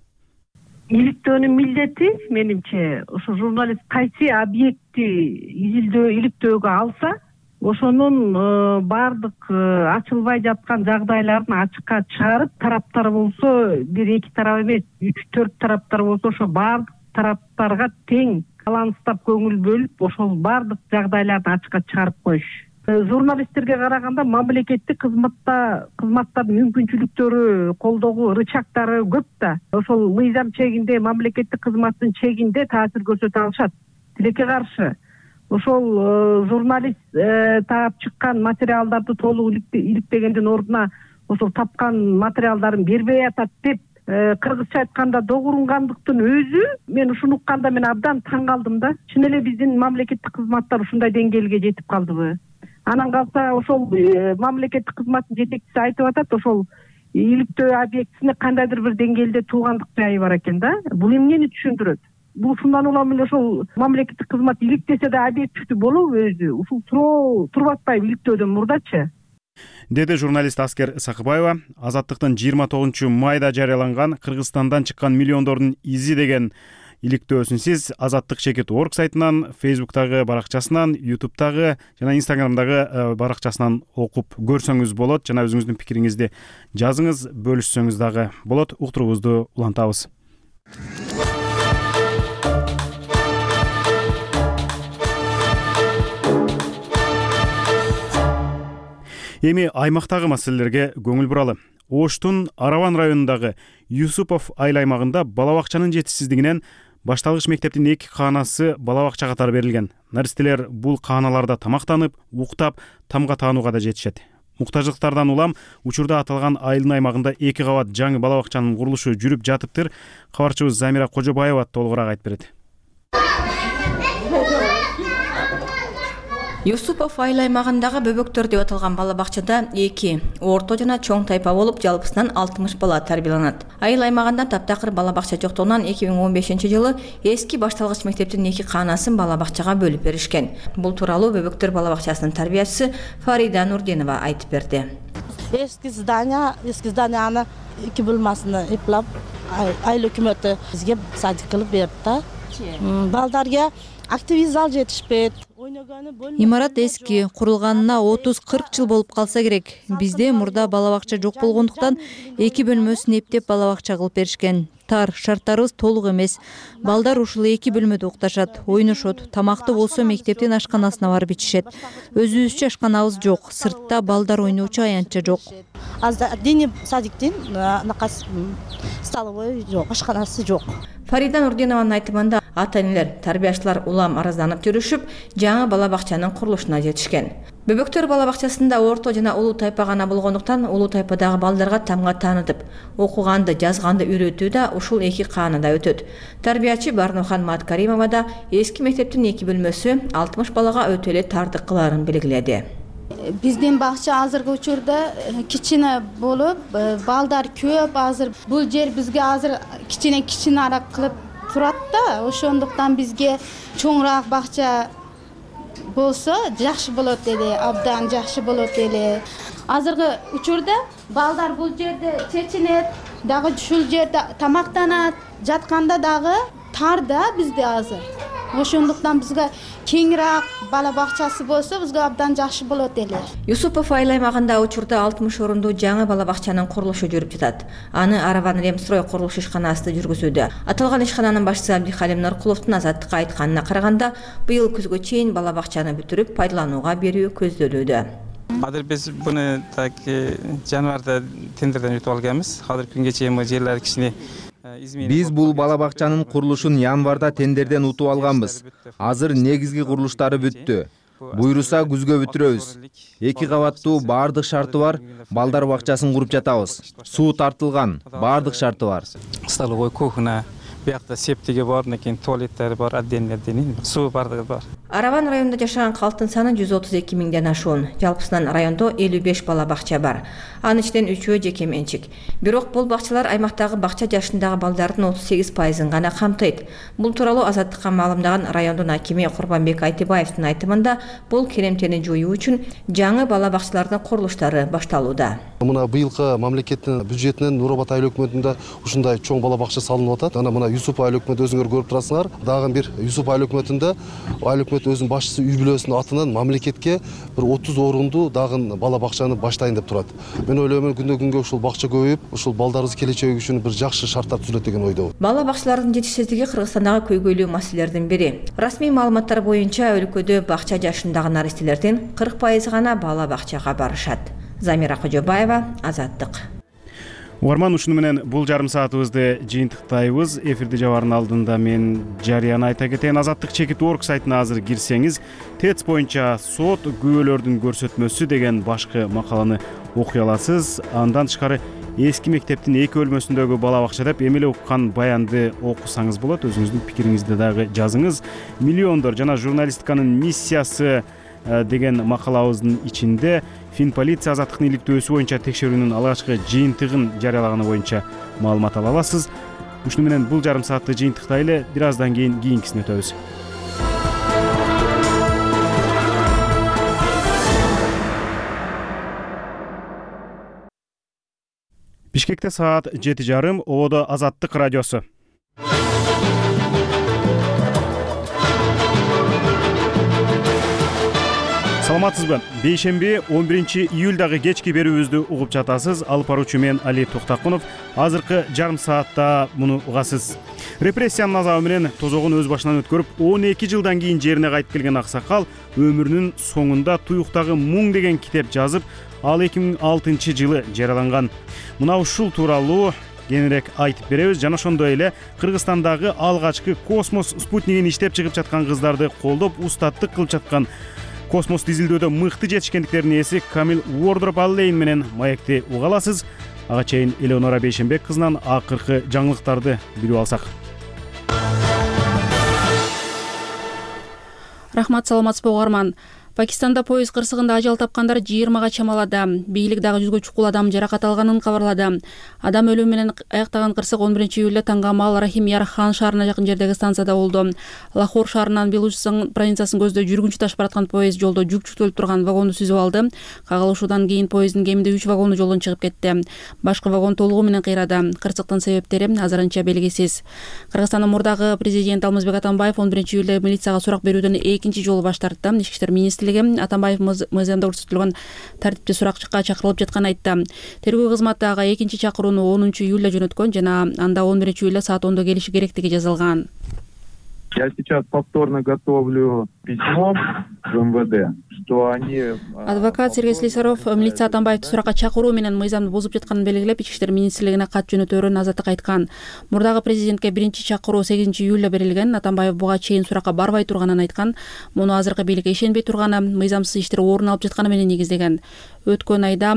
Иликтөөнүн милдети менимче ошо журналист кайсы объектти изилдөө иликтөөгө алса, ошонун баардык ачылбай жаткан жагдайларын ачыкка чыгарып, тараптар болсо бир эки тарап эмес, үч төрт тараптар болсо, ошо баардык тараптарга тең баланстап көңүл бөлүп, ошол баардык жагдайларды ачыкка чыгарып коюш. Журналисттерге караганда мамлекеттик кызматта кызматтардын мүмкүнчүлүктөрү, колдогуу рычагдары көп да. Ошол мыйзам чегинде, мамлекеттик кызматтын чегинде таасир көрсөтө алышат. Тилекке каршы ошол журналист таап чыккан материалдарды толук иликтегендин ордуна ошол тапкан материалдарын бербей атат деп кыргызча айтканда догурунгандыктын өзү, мен ушуну укканда мен абдан таң калдым да. Чын эле биздин мамлекеттик кызматтар ушундай деңгээлге жетип калдыбы? Анан калса ошол мамлекеттик кызматтын жетекчиси айтып атат, ошол иликтөө объектисине кандайдыр бир деңгээлде туугандык жайы бар экен да. Бул эмнени түшүндүрөт? бул ушундан улам эле ошол мамлекеттик кызмат иликтесе да объективдүү болобу өзү ушул суроо туруп атпайбы иликтөөдөн мурдачы, деди журналист Аскер Сакыбаева. Азаттыктын жыйырма тогузунчу майда жарыяланган Кыргызстандан чыккан миллиондордун изи деген иликтөөсүн сиз Азаттык чекит точка орг сайтынан, Facebook'тагы баракчасынан, YouTube'тагы жана Instagram'дагы баракчасынан окуп көрсөңүз болот. Жана өзүңүздүн пикириңизди жазыңыз, бөлүшсөңүз дагы болот. Уктуруубузду улантабыз. Эми аймактагы маселелерге көңүл буралы. Оштун Араван районундагы Юсупов айыл аймагында бала бакчанын жетишсиздигинен башталгыч мектептин эки каанасы бала бакча катары берилген. Наристелер бул кааналарда тамактанып, уктап, тамга таанууга да жетишет. Муктаждыктардан улам учурда аталган айылдын аймагында эки кабат жаңы бала бакчанын курулушу жүрүп жатыптыр. Кабарчыбыз Замира Кожобаева толугураак айтып берет. Юсупов айыл аймагындагы Бөбөктөр деп аталган бала бакчада эки орто жана чоң тайпа болуп, жалпысынан алтымыш бала тарбияланат. Айыл аймагында таптакыр бала бакча жоктугунан эки миң он бешинчи жылы эски башталгыч мектептин эки каанасын бала бакчага бөлүп беришкен. Бул тууралуу Бөбөктөр бала бакчасынын тарбиячысы Фарида Нурдинова айтып берди. Эски здание, эски зданияны эки бөлмөсүнө эплап, айыл өкмөтү бизге садик кылып берди. Балдарга активный зал жетишпейт. Имарат эски, курулганына отуз кырк жыл болуп калса керек. Бизде мурда бала бакча жок болгондуктан эки бөлмөсүн эптеп бала бакча кылып беришкен. Тар, шарттарыбыз толук эмес. Балдар ушул эки бөлмөдө укташат, ойношот. Тамакты болсо мектептин ашканасына барып ичишет. Өзүбүзчө ашканабыз жок. Сыртта балдар ойноочу аянтча жок. Отдельный садиктин накас столовой жок, ашканасы жок. Фарида Нурдинованын айтымында ата-энелер, тарбиячылар улам аразданып жүрүшүп, жаңы бала бакчанын курулушуна жетишкен. Бөбөктөр бала бакчасында орто жана улуу тайпа гана болгондуктан улуу тайпадагы балдарга тамга таанытып, окуганды, жазганды үйрөтүү да ушул эки каанада өтөт. Тарбиячы Барнохан Маткаримова да эски мектептин эки бөлмөсү алтымыш балага өтө эле тардык кыларын белгиледи. Биздин бакча азыркы учурда кичине болуп, балдар көп азыр. Бул жер бизге азыр кичине кичинерээк кылып турат да, ошондуктан бизге чоңураак бакча болсо жакшы болот эле, абдан жакшы болот эле. Азыркы учурда балдар бул жерде чечинет, дагы ушул жерде тамактанат, жатканда дагы тар да бизде азыр. Ошондуктан бизге кеңирээк бала бакчасы болсо бизге абдан жакшы болот эле. Юсупов айыл аймагында учурда алтымыш орундуу жаңы бала бакчанын курулушу жүрүп жатат. Аны Араван Ремстрой курулуш ишканасы жүргүзүүдө. Аталган ишкананын башчысы Абдихалим Нуркуловдун Азаттыкка айтканына караганда, быйыл күзгө чейин бала бакчаны бүтүрүп пайдаланууга берүү көздөлүүдө. Азыр биз буну так январда тендерден өтүп алганбыз. Азыр күнгө чейин жерлер кичине Биз бул бала бакчанын курулушун январда тендерден утуп алганбыз. Азыр негизги курулуштары бүттү. Буйруса күзгө бүтүрөбүз. Эки кабаттуу баардык шарты бар балдар бакчасын куруп жатабыз. Суу тартылган, баардык шарты бар. Столовой, кухня, биякта септиги бар, анан туалеттери бар, отдельный, суу баардыгы бар. Араван районунда жашаган калктын саны жүз отуз эки миңден ашуун. Жалпысынан райондо элүү беш бала бакча бар. Анын ичинен үчөө жеке менчик. Бирок бул бакчалар аймактагы бакча жашындагы балдардын отуз сегиз пайызын гана камтыйт. Бул тууралуу Азаттыкка маалымдаган райондун акими Курбанбек Айтыбаевдин айтымында, бул керемтени жоюу үчүн жаңы бала бакчалардын курулуштары башталууда. Мына быйылкы мамлекеттин бюджетинен Нур Абад айыл өкмөтүндө ушундай чоң бала бакча салынып атат. Ана мына Юсуп айыл өкмөтү өзүңөр көрүп турасыңар. Дагы бир Юсуп айыл өкмөтүндө айыл өкмөт өзүнүн башчысы үй бүлөсүнүн атынан мамлекетке бир отуз орундуу дагы бала бакчаны баштайын деп турат. Мен ойлойм, күндө күнгө ушул бакча көбөйүп, ушул балдарыбыз келечеги үчүн бир жакшы шарттар түзүлөт деген ойдобун. Бала бакчалардын жетишсиздиги Кыргызстандагы көйгөйлүү маселелердин бири. Расмий маалыматтар боюнча өлкөдө бакча жашындагы наристелердин кырк пайызы гана бала бакчага барышат. Замира Кожобаева, Азаттык. Угарман, ушуну менен бул жарым саатыбызды жыйынтыктайбыз. Эфирди жабаардын алдында мен жарыяны айта кетейин. Азаттык чекит точка орг сайтына азыр кирсеңиз, ТЭЦ боюнча сот күбөлөрдүн көрсөтмөсү деген башкы макаланы окуй аласыз. Андан тышкары эски мектептин эки бөлмөсүндөгү бала бакча деп эми эле уккан баянды окусаңыз болот. Өзүңүздүн пикириңизди дагы жазыңыз. Миллиондор жана журналистиканын миссиясы деген макалабыздын ичинде Финполиция Азаттыктын иликтөөсү боюнча текшерүүнүн алгачкы жыйынтыгын жарыялаганы боюнча маалымат ала аласыз. Ушуну менен бул жарым саатты жыйынтыктайлы, бир аздан кийин кийинкисине өтөбүз. Бишкекте саат жети жарым, Ободо Азаттык радиосу. Саламатсызбы? Бейшемби он биринчи июлдагы кечки берүүбүздү угуп жатасыз. Алып баруучу мен Али Токтакунов. Азыркы жарым саатта муну угасыз. Репрессиянын азабы менен тозогун өз башынан өткөрүп, он эки жылдан кийин жерине кайтып келген аксакал өмүрүнүн соңунда туюктагы Муң деген китеп жазып, ал эки миң алтынчы жылы жарыяланган. Мына ушул тууралуу кеңирээк айтып беребиз. Жана ошондой эле Кыргызстандагы алгачкы космос спутнигин иштеп чыгып жаткан кыздарды колдоп, устаттык кылып жаткан космос изилдөөдө мыкты жетишкендиктердин ээси Камил Уордроп Аллейн менен маекти уга аласыз. Ага чейин Элеонора Бейшембек кызынан акыркы жаңылыктарды билип алсак. Рахмат, саламатсызбы угарман. Пакистанда поезд кырсыгында ажал тапкандар жыйырмага чамалады. Бийлик дагы жүзгө чукул адам жаракат алганын кабарлады. Адам өлүмү менен аяктаган кырсык он биринчи июлда Тангамал Рахим Ярхан шаарына жакын жердеги станцияда болду. Лахор шаарынан Белучистан провинциясын көздөй жүргүнчү ташып бараткан поезд жолдо жүк жүктөлүп турган вагонду сүзүп алды. Кагылышуудан кийин поезддин кеминде үч вагону жолдон чыгып кетти. Башкы вагон толугу менен кыйрады. Кырсыктын себептери азырынча белгисиз. Кыргызстандын мурдагы президенти Алмазбек Атамбаев он биринчи июлда милицияга сурак берүүдөн экинчи жолу баш тартты. Ички иштер министрлиги Атамбаев мыйзамда көрсөтүлгөн тартипте суракчыкка чакырылып жатканын айтты. Тергөө кызматы ага экинчи чакырууну онунчу июлда жөнөткөн жана анда он биринчи июлда саат ондо келиши керектиги жазылган. Я сейчас повторно готовлю письмо в эм вэ дэ, что они... Адвокат Сергей Слесарев милиция Атамбаевди суракка чакыруу менен мыйзамды бузуп жатканын белгилеп, Ички иштер министрлигине кат жөнөтөөрүн Азаттык айткан. Мурдагы президентке биринчи чакыруу сегизинчи июлда берилген. Атамбаев буга чейин суракка барбай турганын айткан. Муну азыркы бийликке ишенбей турганы, мыйзамсыз иштер орун алып жатканы менен негиздеген. Өткөн айда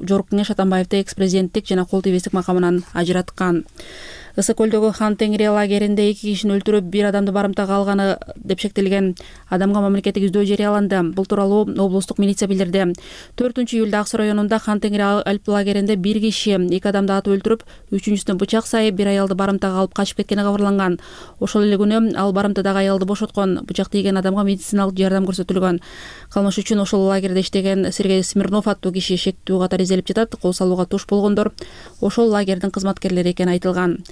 Жогорку кеңеш Атамбаевди экс-президенттик жана кол тийбестик макамынан ажыраткан. Ысык көлдөгү Хан Теңири лагеринде эки кишини өлтүрүп, бир адамды барымтага алганы деп шектелген адамга мамлекеттик издөө жарыяланды. Бул тууралуу облустук милиция билдирди. төртүнчү июлда Ак Суу районунда Хан Теңири Алп лагеринде бир киши эки адамды атып өлтүрүп, үчүнчүсүнө бычак сайып, бир аялды барымтага алып качып кеткени кабарланган. Ошол эле күнү ал барымтадагы аялды бошоткон. Бычак тийген адамга медициналык жардам көрсөтүлгөн. Кылмыш үчүн ошол лагерде иштеген Сергей Смирнов аттуу киши шектүү катары изделип жатат. Кол салууга туш болгондор ошол лагердин кызматкерлери экени айтылган.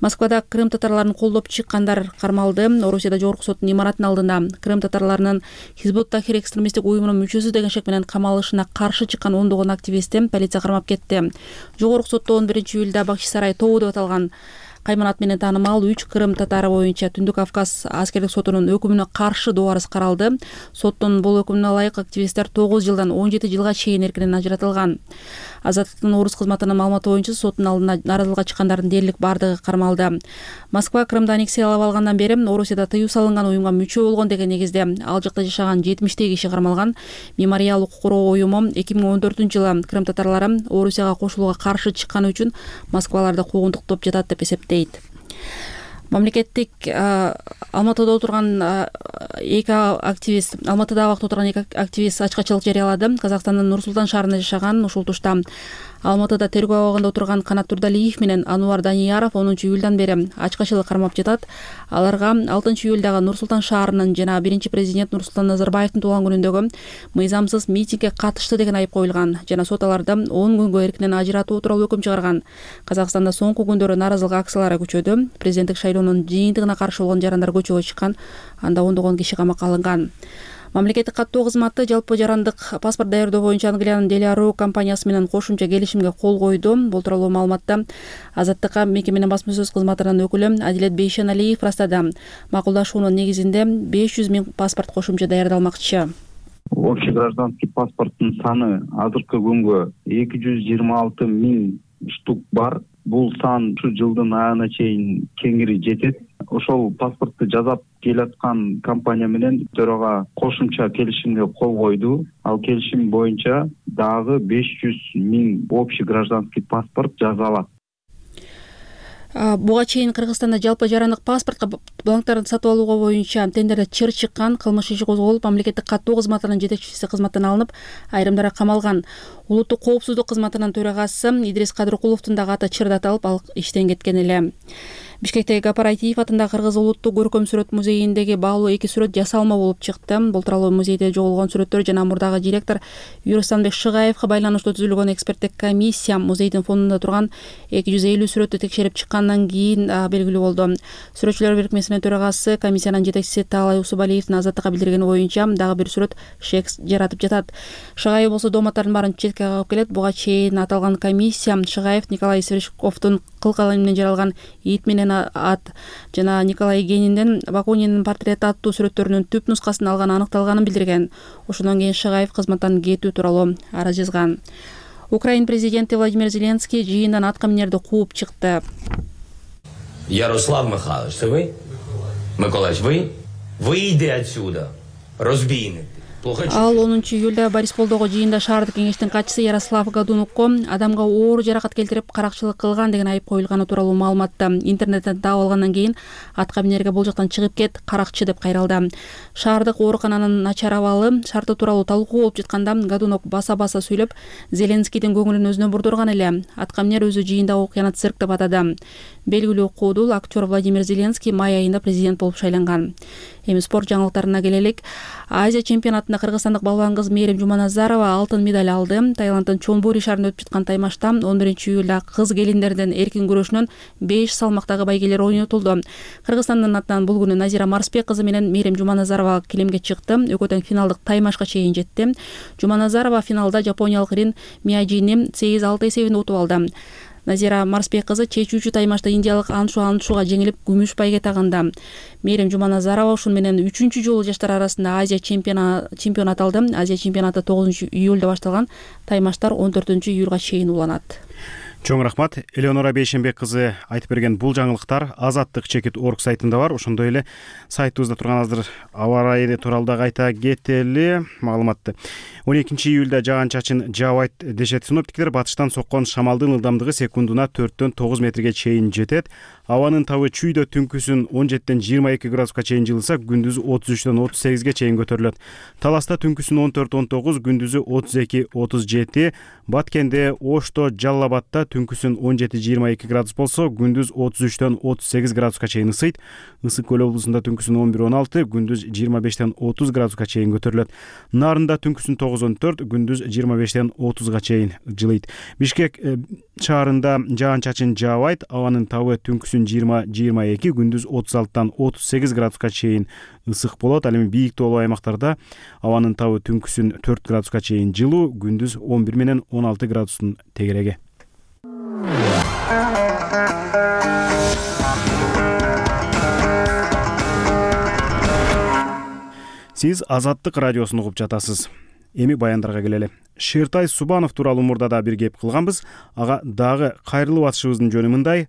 Москвада Крым татарларын колдоп чыккандар кармалды. Орусияда Жогорку соттун имаратынын алдында Крым татарларынын Хизбут Тахрир экстремисттик уюмунун мүчөсү деген шек менен камалышына каршы чыккан ондогон активистти полиция кармап кетти. Жогорку сотто он биринчи июлда Бакчысарай тобу деп аталган кайманат менен таанымал үч Крым татары боюнча Түндүк Кавказ аскердик сотунун өкүмүнө каршы доо арыз каралды. Соттун бул өкүмүнө ылайык активисттер тогуз жылдан он жети жылга чейин эркинен ажыратылган. Азаттыктын орус кызматынын маалыматы боюнча соттун алдына наразылыкка чыккандардын дээрлик бардыгы кармалды. Москва Крымды аннексиялап алгандан бери Орусияда тыюу салынган уюмга мүчө болгон деген негизде ал жакта жашаган жетимиштей киши кармалган. Мемориал укук коргоо уюму эки миң он төртүнчү жылы Крым татарлары Орусияга кошулууга каршы чыкканы үчүн Москваларды куугунтуктоп жатат деп эсептейт. Мамлекеттик Алматыда отурган эки активист Алматыда убакыт отурган эки активист ачкачылык жарыялады. Казакстандын Нур-Султан шаарында жашаган ушул тушта Алматыда тергөө абагында отурган Канат Турдалиев менен Ануар Данияров онунчу июлдан бери ачкачылык кармап жатат. Аларга алтынчы июлдагы Нур-Султан шаарынын жана биринчи президент Нурсултан Назарбаевдин туулган күнүндөгү мыйзамсыз митингге катышты деген айып коюлган жана сот аларды он күнгө эркинен ажыратуу тууралуу өкүм чыгарган. Казакстанда соңку күндөрү нааразылык акциялары күчөдү. Президенттик шайлоонун жыйынтыгына каршы болгон жарандар көчөгө чыккан. Анда ондогон киши камакка алынган. Мамлекеттик каттоо кызматы жалпы жарандык паспорт даярдоо боюнча Англиянын Делиару компаниясы менен кошумча келишимге кол койду. Бул тууралуу маалыматты Азаттыкка мекеменин басма сөз кызматынын өкүлү Адилет Бейшеналиев растады. Макулдашуунун негизинде беш жүз миң паспорт кошумча даярдалмакчы. Общий гражданский паспорттун саны азыркы күнгө эки жүз жыйырма алты миң штук бар. Бул сан ушу жылдын айына чейин кеңири жетет. Ошол паспортты жасап келаткан компания менен төрага кошумча келишимге кол койду. Ал келишим боюнча дагы беш жүз миң общий гражданский паспорт жасалат. Буга чейин Кыргызстанда жалпы жарандык паспортко бланктарды сатып алууга боюнча тендерде чыр чыккан, кылмыш иши козголуп, мамлекеттик каттоо кызматынын жетекчиси кызматтан алынып, айрымдары камалган. Улуттук коопсуздук кызматынын төрагасы Идрис Кадыркуловдун дагы аты чырда аталып, ал иштен кеткен эле. Бишкектеги Гапар Айтиев атындагы Кыргыз улуттук көркөм сүрөт музейиндеги баалуу эки сүрөт жасалма болуп чыкты. Бул тууралуу музейде жоголгон сүрөттөр жана мурдагы директор Юрустанбек Шыгаевга байланыштуу түзүлгөн эксперттик комиссия музейдин фондунда турган эки жүз элүү сүрөттү текшерип чыккандан кийин белгилүү болду. Сүрөтчүлөр бирикмесинин төрагасы комиссиянын жетекчиси Таалай Усубалиевдин азаттыкка билдиргени боюнча дагы бир сүрөт шек жаратып жатат. Шыгаев болсо дооматтардын баарын четке кагып келет. Буга чейин аталган комиссия Шыгаев Николай Свешковдун кыл калем менен жаралган ит менен ат жана Николай Гениндин Бакунинин портрети аттуу сүрөттөрүнүн түп нускасын алганы аныкталганын билдирген. Ошондон кийин Шыгаев кызматтан кетүү тууралуу арыз жазган. Украин президенти Владимир Зеленский жыйындан аткаминерди кууп чыкты. Ярослав Михайлович, это вы? Миколаевич, вы? Выйди отсюда, разбийник. Ал онунчу июлда Борисполдогу жыйында шаардык кеңештин катчысы Ярослав Гадунукко адамга оор жаракат келтирип каракчылык кылган деген айып коюлганы тууралуу маалыматты интернеттен таап алгандан кийин аткаминерге бул жактан чыгып кет, каракчы деп кайралды. Шаардык оорукананын начар абалы шарты тууралуу талкуу болуп жатканда Гадунок баса-баса сүйлөп, Зеленскийдин көңүлүн өзүнө бурдурган эле. Аткаминер өзү жыйында окуяны цирк деп атады. Белгилүү куудул актер Владимир Зеленский май айында президент болуп шайланган. Эми спорт жаңылыктарына келелик. Азия чемпионатында кыргызстандык балбан кыз Мээрим Жуманазарова алтын медаль алды. Таиланддын Чонбури шаарында өтүп жаткан таймашта он биринчи июлда кыз келиндердин эркин күрөшүнөн беш салмактагы байгелер ойнотулду. Кыргызстандын атынан бул күнү Назира Марсбек кызы менен Мээрим Жуманазарова килемге чыкты. Экөө тең финалдык таймашка чейин жетти. Жуманазарова финалда жапониялык Рин Мияджини сегиз алты эсебинде утуп алды. Назира Марсбек кызы чечүүчү таймашта индиялык Аншу Аншуга жеңилип күмүш байге тагынды. Мээрим Жуманазарова ушун менен үчүнчү жолу жаштар арасында Азия чемпионат алды. Азия чемпионаты тогузунчу июлда башталган. Таймаштар он төртүнчү июлга чейин уланат. Чоң рахмат. Элеонора Бейшенбек кызы айтып берген бул жаңылыктар Азаттык чекит орг сайтында бар. Ошондой эле сайтыбызда турган азыр аба ырайы тууралуу да кайта кетели маалыматты. он экинчи июлда жаан-чачын жаабайт дешет синоптиктер. Батыштан соккон шамалдын ылдамдыгы секундуна төрттөн тогуз метрге чейин жетет. Абанын табы чүйдө түнкүсүн он жетиден жыйырма эки градуска чейин жылыса, күндүзү отуз үчтөн отуз сегизге чейин көтөрүлөт. Таласта түнкүсүн он төрт он тогуз, күндүзү отуз эки отуз жети. Баткенде, Ошто, Жалал Абадта түнкүсүн он жети жыйырма эки градус болсо, күндүз отуз үчтөн отуз сегиз градуска чейин ысыйт. Ысык көл облусунда түнкүсүн он бир он алты, күндүз жыйырма бештен отуз градуска чейин көтөрүлөт. Нарында түнкүсүн тогуз он төрт, күндүз жыйырма бештен отузга чейин жылыйт. Бишкек шаарында жаан-чачын жаабайт. Абанын табы түнкүсүн жыйырма жыйырма эки, күндүз отуз алтыдан отуз сегиз градуска чейин ысык болот. Ал эми бийик тоолуу аймактарда абанын табы түнкүсүн төрт градуска чейин жылуу, күндүз он бир менен он алты градустун тегереги. Сиз Азаттык радиосун угуп жатасыз. Эми баяндарга келели. Шертай Субанов тууралуу мурдада бир кеп кылганбыз. Ага дагы кайрылып атышыбыздын жөнү мындай.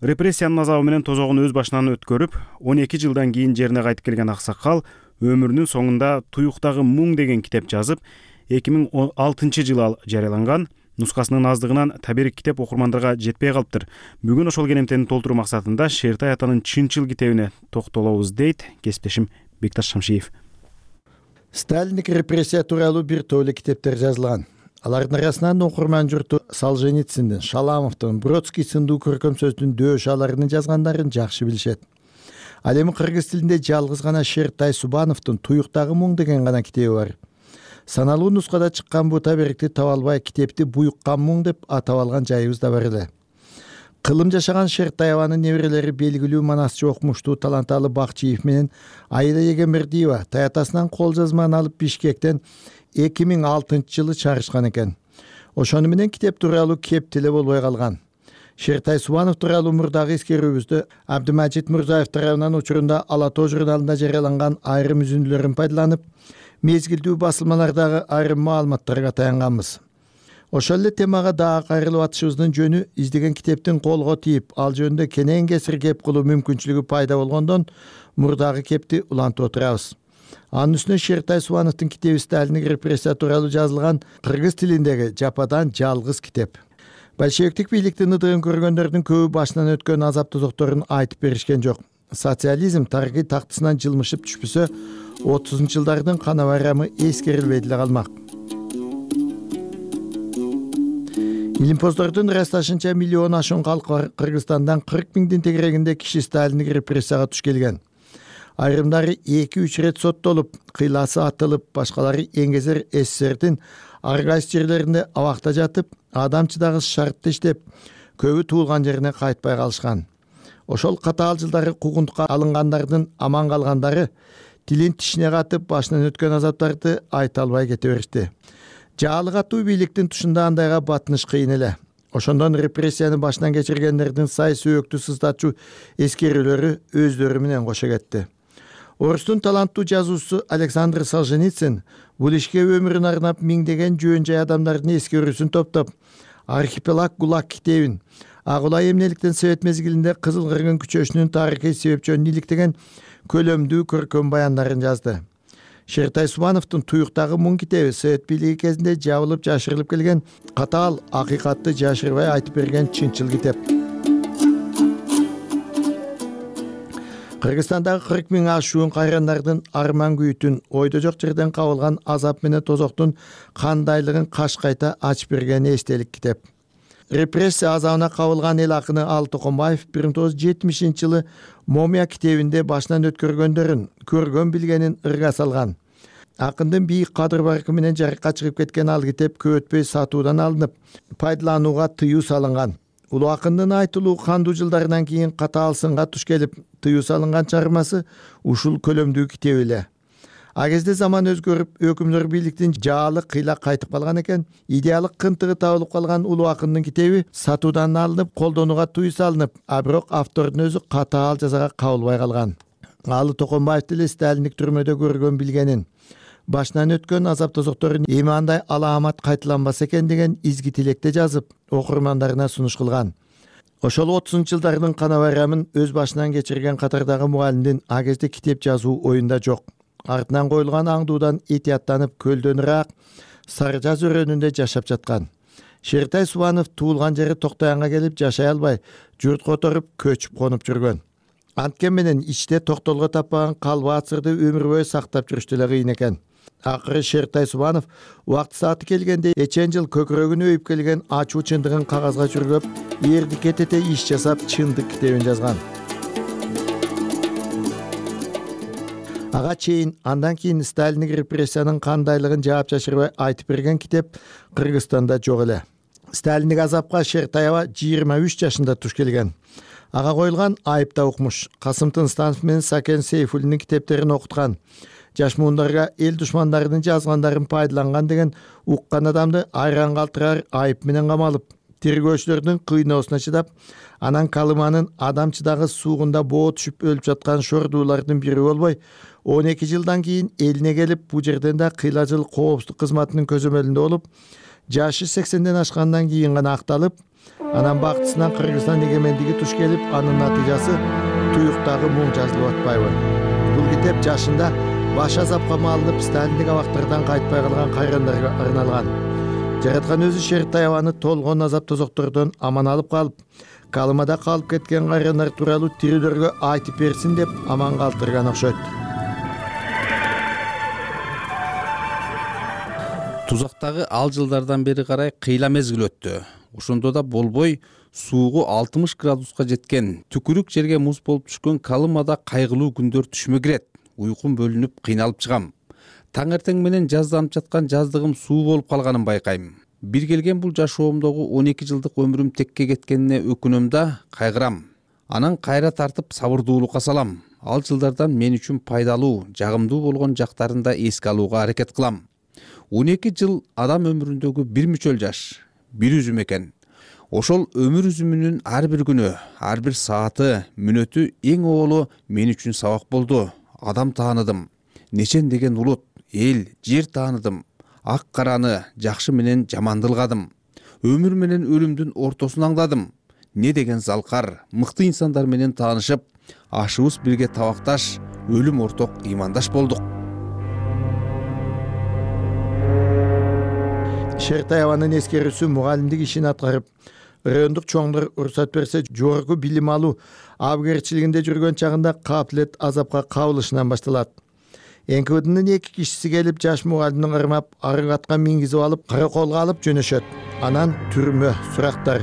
Репрессиянын азабы менен тозогун өз башынан өткөрүп, он эки жылдан кийин жерине кайтып келген аксакал өмүрүнүн соңунда Туюктагы муң деген китеп жазып, эки миң он алтынчы жылы жарыяланган. Нускасынын аздыгынан таберик китеп окурмандарга жетпей калыптыр. Бүгүн ошол кенемтени толтуруу максатында Шертай атанын Чынчыл китебине токтолобуз дейт кесиптешим Бекташ Шамшиев. Сталиндик репрессия тууралуу бир топ эле китептер жазылган. Алардын арасынан окурман журту Солженициндин, Шаламовдун, Бродский сындуу көркөм сөздүн дөөш аларын жазгандарын жакшы билишет. Ал эми кыргыз тилинде жалгыз гана Шертай Субановдун Туюктагы муң деген гана китеби бар. Саналуу нускада чыккан бу таберикти таба албай китепти Буюккан муң деп атап алган жайыбыз да бар эле. Кылым жашаган Шертай абанын неберелери белгилүү манасчы окумуштуу Таланталы Бакчиев менен Айда Егембердиева таятасынан кол жазманы алып Бишкектен эки миң алтынчы жылы чыгарышкан экен. Ошону менен китеп тууралуу кеп деле болбой калган. Шертай Субанов тууралуу мурдагы эскерүүбүздө Абдымажит Мурзаев тарабынан учурунда Ала Тоо журналында жарыяланган айрым үзүндүлөрүн пайдаланып, мезгилдүү басылмалардагы айрым маалыматтарга таянганбыз. Ошол эле темага дагы кайрылып атышыбыздын жөнү издеген китептин колго тийип, ал жөнүндө кенен кесир кеп кылуу мүмкүнчүлүгү пайда болгондон мурдагы кепти улантып отурабыз. Анын үстүнө Шертай Субановдун китеби Сталиндик репрессия тууралуу жазылган кыргыз тилиндеги жападан жалгыз китеп. большевиктик бийликтин ыдыгын көргөндөрдүн көбү башынан өткөн азап тозокторун айтып беришкен жок. Социализм тарыхый тактысынан жылмышып түшпөсө, отузунчу жылдардын кана байрамы эскерилбей деле калмак. Илимпоздордун ырасташынча миллион ашуун калк бар. Кыргызстандан кырк миңдин тегерегинде киши сталиндик репрессияга туш келген. Айрымдары эки-үч рет соттолуп, кыйласы атылып, башкалары эңгезер СССРдин ар кайсы жерлеринде абакта жатып, адамчыдагы шартты иштеп, көбү туулган жерине кайтпай калышкан. Ошол катаал жылдары куугунтукка алынгандардын аман калгандары тилин тишине катып, башынан өткөн азаптарды айта албай кете беришти. Жаалы катуу бийликтин тушунда андайга батыныш кыйын эле. Ошондон репрессияны башынан кечиргендердин сай сөөктү сыздатчу эскерүүлөрү өздөрү менен кошо кетти. Орустун таланттуу жазуучусу Александр Солженицин бул ишке өмүрүн арнап миңдеген жөн жай адамдардын эскерүүсүн топтоп, Архипелаг ГУЛАГ китебин, Ак Улай эмнеликтен Совет мезгилинде Кызыл Кыргын күчөшүнүн тарыхый себепчөнүн иликтеген көлөмдүү көркөм баяндарын жазды. Шертай Субановдун Туюктагы муң китеби Совет бийлиги кезинде жабылып жашырылып келген катаал акыйкатты жашырбай айтып берген чынчыл китеп. Кыргызстандагы кырк миң ашуун кайрандардын арман күйүтүн, ойдо жок жерден кабылган азап менен тозоктун кандайлыгын каш кайта ачып берген эстелик китеп. Репрессия азабына кабылган эл акыны Алы Токонбаев бир миң тогуз жүз жетимишинчи жылы Момия китебинде башынан өткөргөндөрүн, көргөн билгенин ырга салган. Акындын бийик кадыр баркы менен жарыкка чыгып кеткен ал китеп көп өтпөй сатуудан алынып, пайдаланууга тыюу салынган. Улуу акындын айтылуу кандуу жылдарынан кийин катаал сынга туш келип, тыюу салынган чыгармасы ушул көлөмдүү китеп эле. А кезде заман өзгөрүп, өкүмдөр бийликтин жаалы кыйла кайтып калган экен. Идеалык кынтыгы табылып калган улуу акындын китеби сатуудан алынып, колдонууга тыюу салынып, а бирок автордун өзү катаал жазага кабылбай калган. Алы Токонбаев деле сталиндик түрмөдө көргөн билгенин, башынан өткөн азап тозокторун эми андай алаамат кайталанбаса экен деген изги тилекте жазып, окурмандарына сунуш кылган. Ошол отузунчу жылдардын кана байрамын өз башынан кечирген катардагы мугалимдин а кезде китеп жазуу оюнда жок. Артынан коюлган аңдуудан этияттанып, көлдөнүраак сары жаз өрөөнүндө жашап жаткан. Шертай Субанов туулган жери Токтоянга келип жашай албай, журт которуп, көчүп конуп жүргөн. Анткен менен ичте токтолго таппаган калбы ацырды өмүр бою сактап жүрүш деле кыйын экен. Акыры Шертай Субанов убакыт сааты келгенде эчен жыл көкүрөгүнө өйүп келген ачуу чындыгын кагазга чүргөп, эрди кетете иш жасап, чындык китебин жазган. Ага чейин, андан кийин сталиндик репрессиянын кандайлыгын жаап жашырбай айтып берген китеп Кыргызстанда жок эле. Сталиндик азапка Шертаева жыйырма үч жашында туш келген. Ага коюлган айып да укмуш. Касым Тынстанов менен Сакен Сейфуллиндин китептерин окуткан. Жаш муундарга эл душмандарынын жазгандарын пайдаланган деген уккан адамды айран калтырар айып менен камалып, тергөөчүлөрдүн кыйноосуна чыдап, анан Калыманын адамчыдагы суугунда боо түшүп өлүп жаткан шордуулардын бири болбой, он эки жылдан кийин элине келип, бул жерден да кыйла жыл коопсуздук кызматынын көзөмөлүндө болуп, жашы сексенден ашкандан кийин гана акталып, анан бактысынан Кыргызстан эгемендиги туш келип, анын натыйжасы Туюктагы муң жазылып атпайбы. Бул китеп жашында баш азапка малынып, сталиндик абактардан кайтпай калган кайрандарга арналган. Жараткан өзү Шертаеваны толгон азап тозоктордон аман алып калып, Калымада калып кеткен кайрандар тууралуу тирүүлөргө айтып берсин деп аман калтырган окшойт. Тузактагы ал жылдардан бери карай кыйла мезгил өттү. Ошондо да болбой суугу алтымыш градуска жеткен, түкүрүк жерге муз болуп түшкөн Калымада кайгылуу күндөр түшмө кирет. Уйкум бөлүнүп, кыйналып чыгам. Таң эртең менен жазданып жаткан жаздыгым суу болуп калганын байкайм. Бир келген бул жашоомдогу он эки жылдык өмүрүм текке кеткенине өкүнөм да, кайгырам. Анан кайра тартып сабырдуулукка салам. Ал жылдардан мен үчүн пайдалуу, жагымдуу болгон жактарын да эске алууга аракет кылам. он эки жыл адам өмүрүндөгү бир мүчөл жаш, бир үзүм экен. Ошол өмүр үзүмүнүн ар бир күнү, ар бир сааты, мүнөтү эң оолу мен үчүн сабак болду. Адам тааныдым. Нечен деген улут, эл, жер тааныдым. Ак караны, жакшы менен жаманды ылгадым. Өмүр менен өлүмдүн ортосун аңдадым. Не деген залкар, мыкты инсандар менен таанышып, ашыбыз бирге табакташ, өлүм орток ыймандаш болдук. Шертаеванын эскерүүсү мугалимдик ишин аткарып, райондук чоңдор уруксат берсе жогорку билим алуу абгерчилигинде жүргөн чагында капилет азапка кабылышынан башталат. эн ка вэ днын эки кишиси келип жаш мугалимдин ырмап арык атка мингизип алып караколго алып жөнөшөт. Анан түрмө сурактар.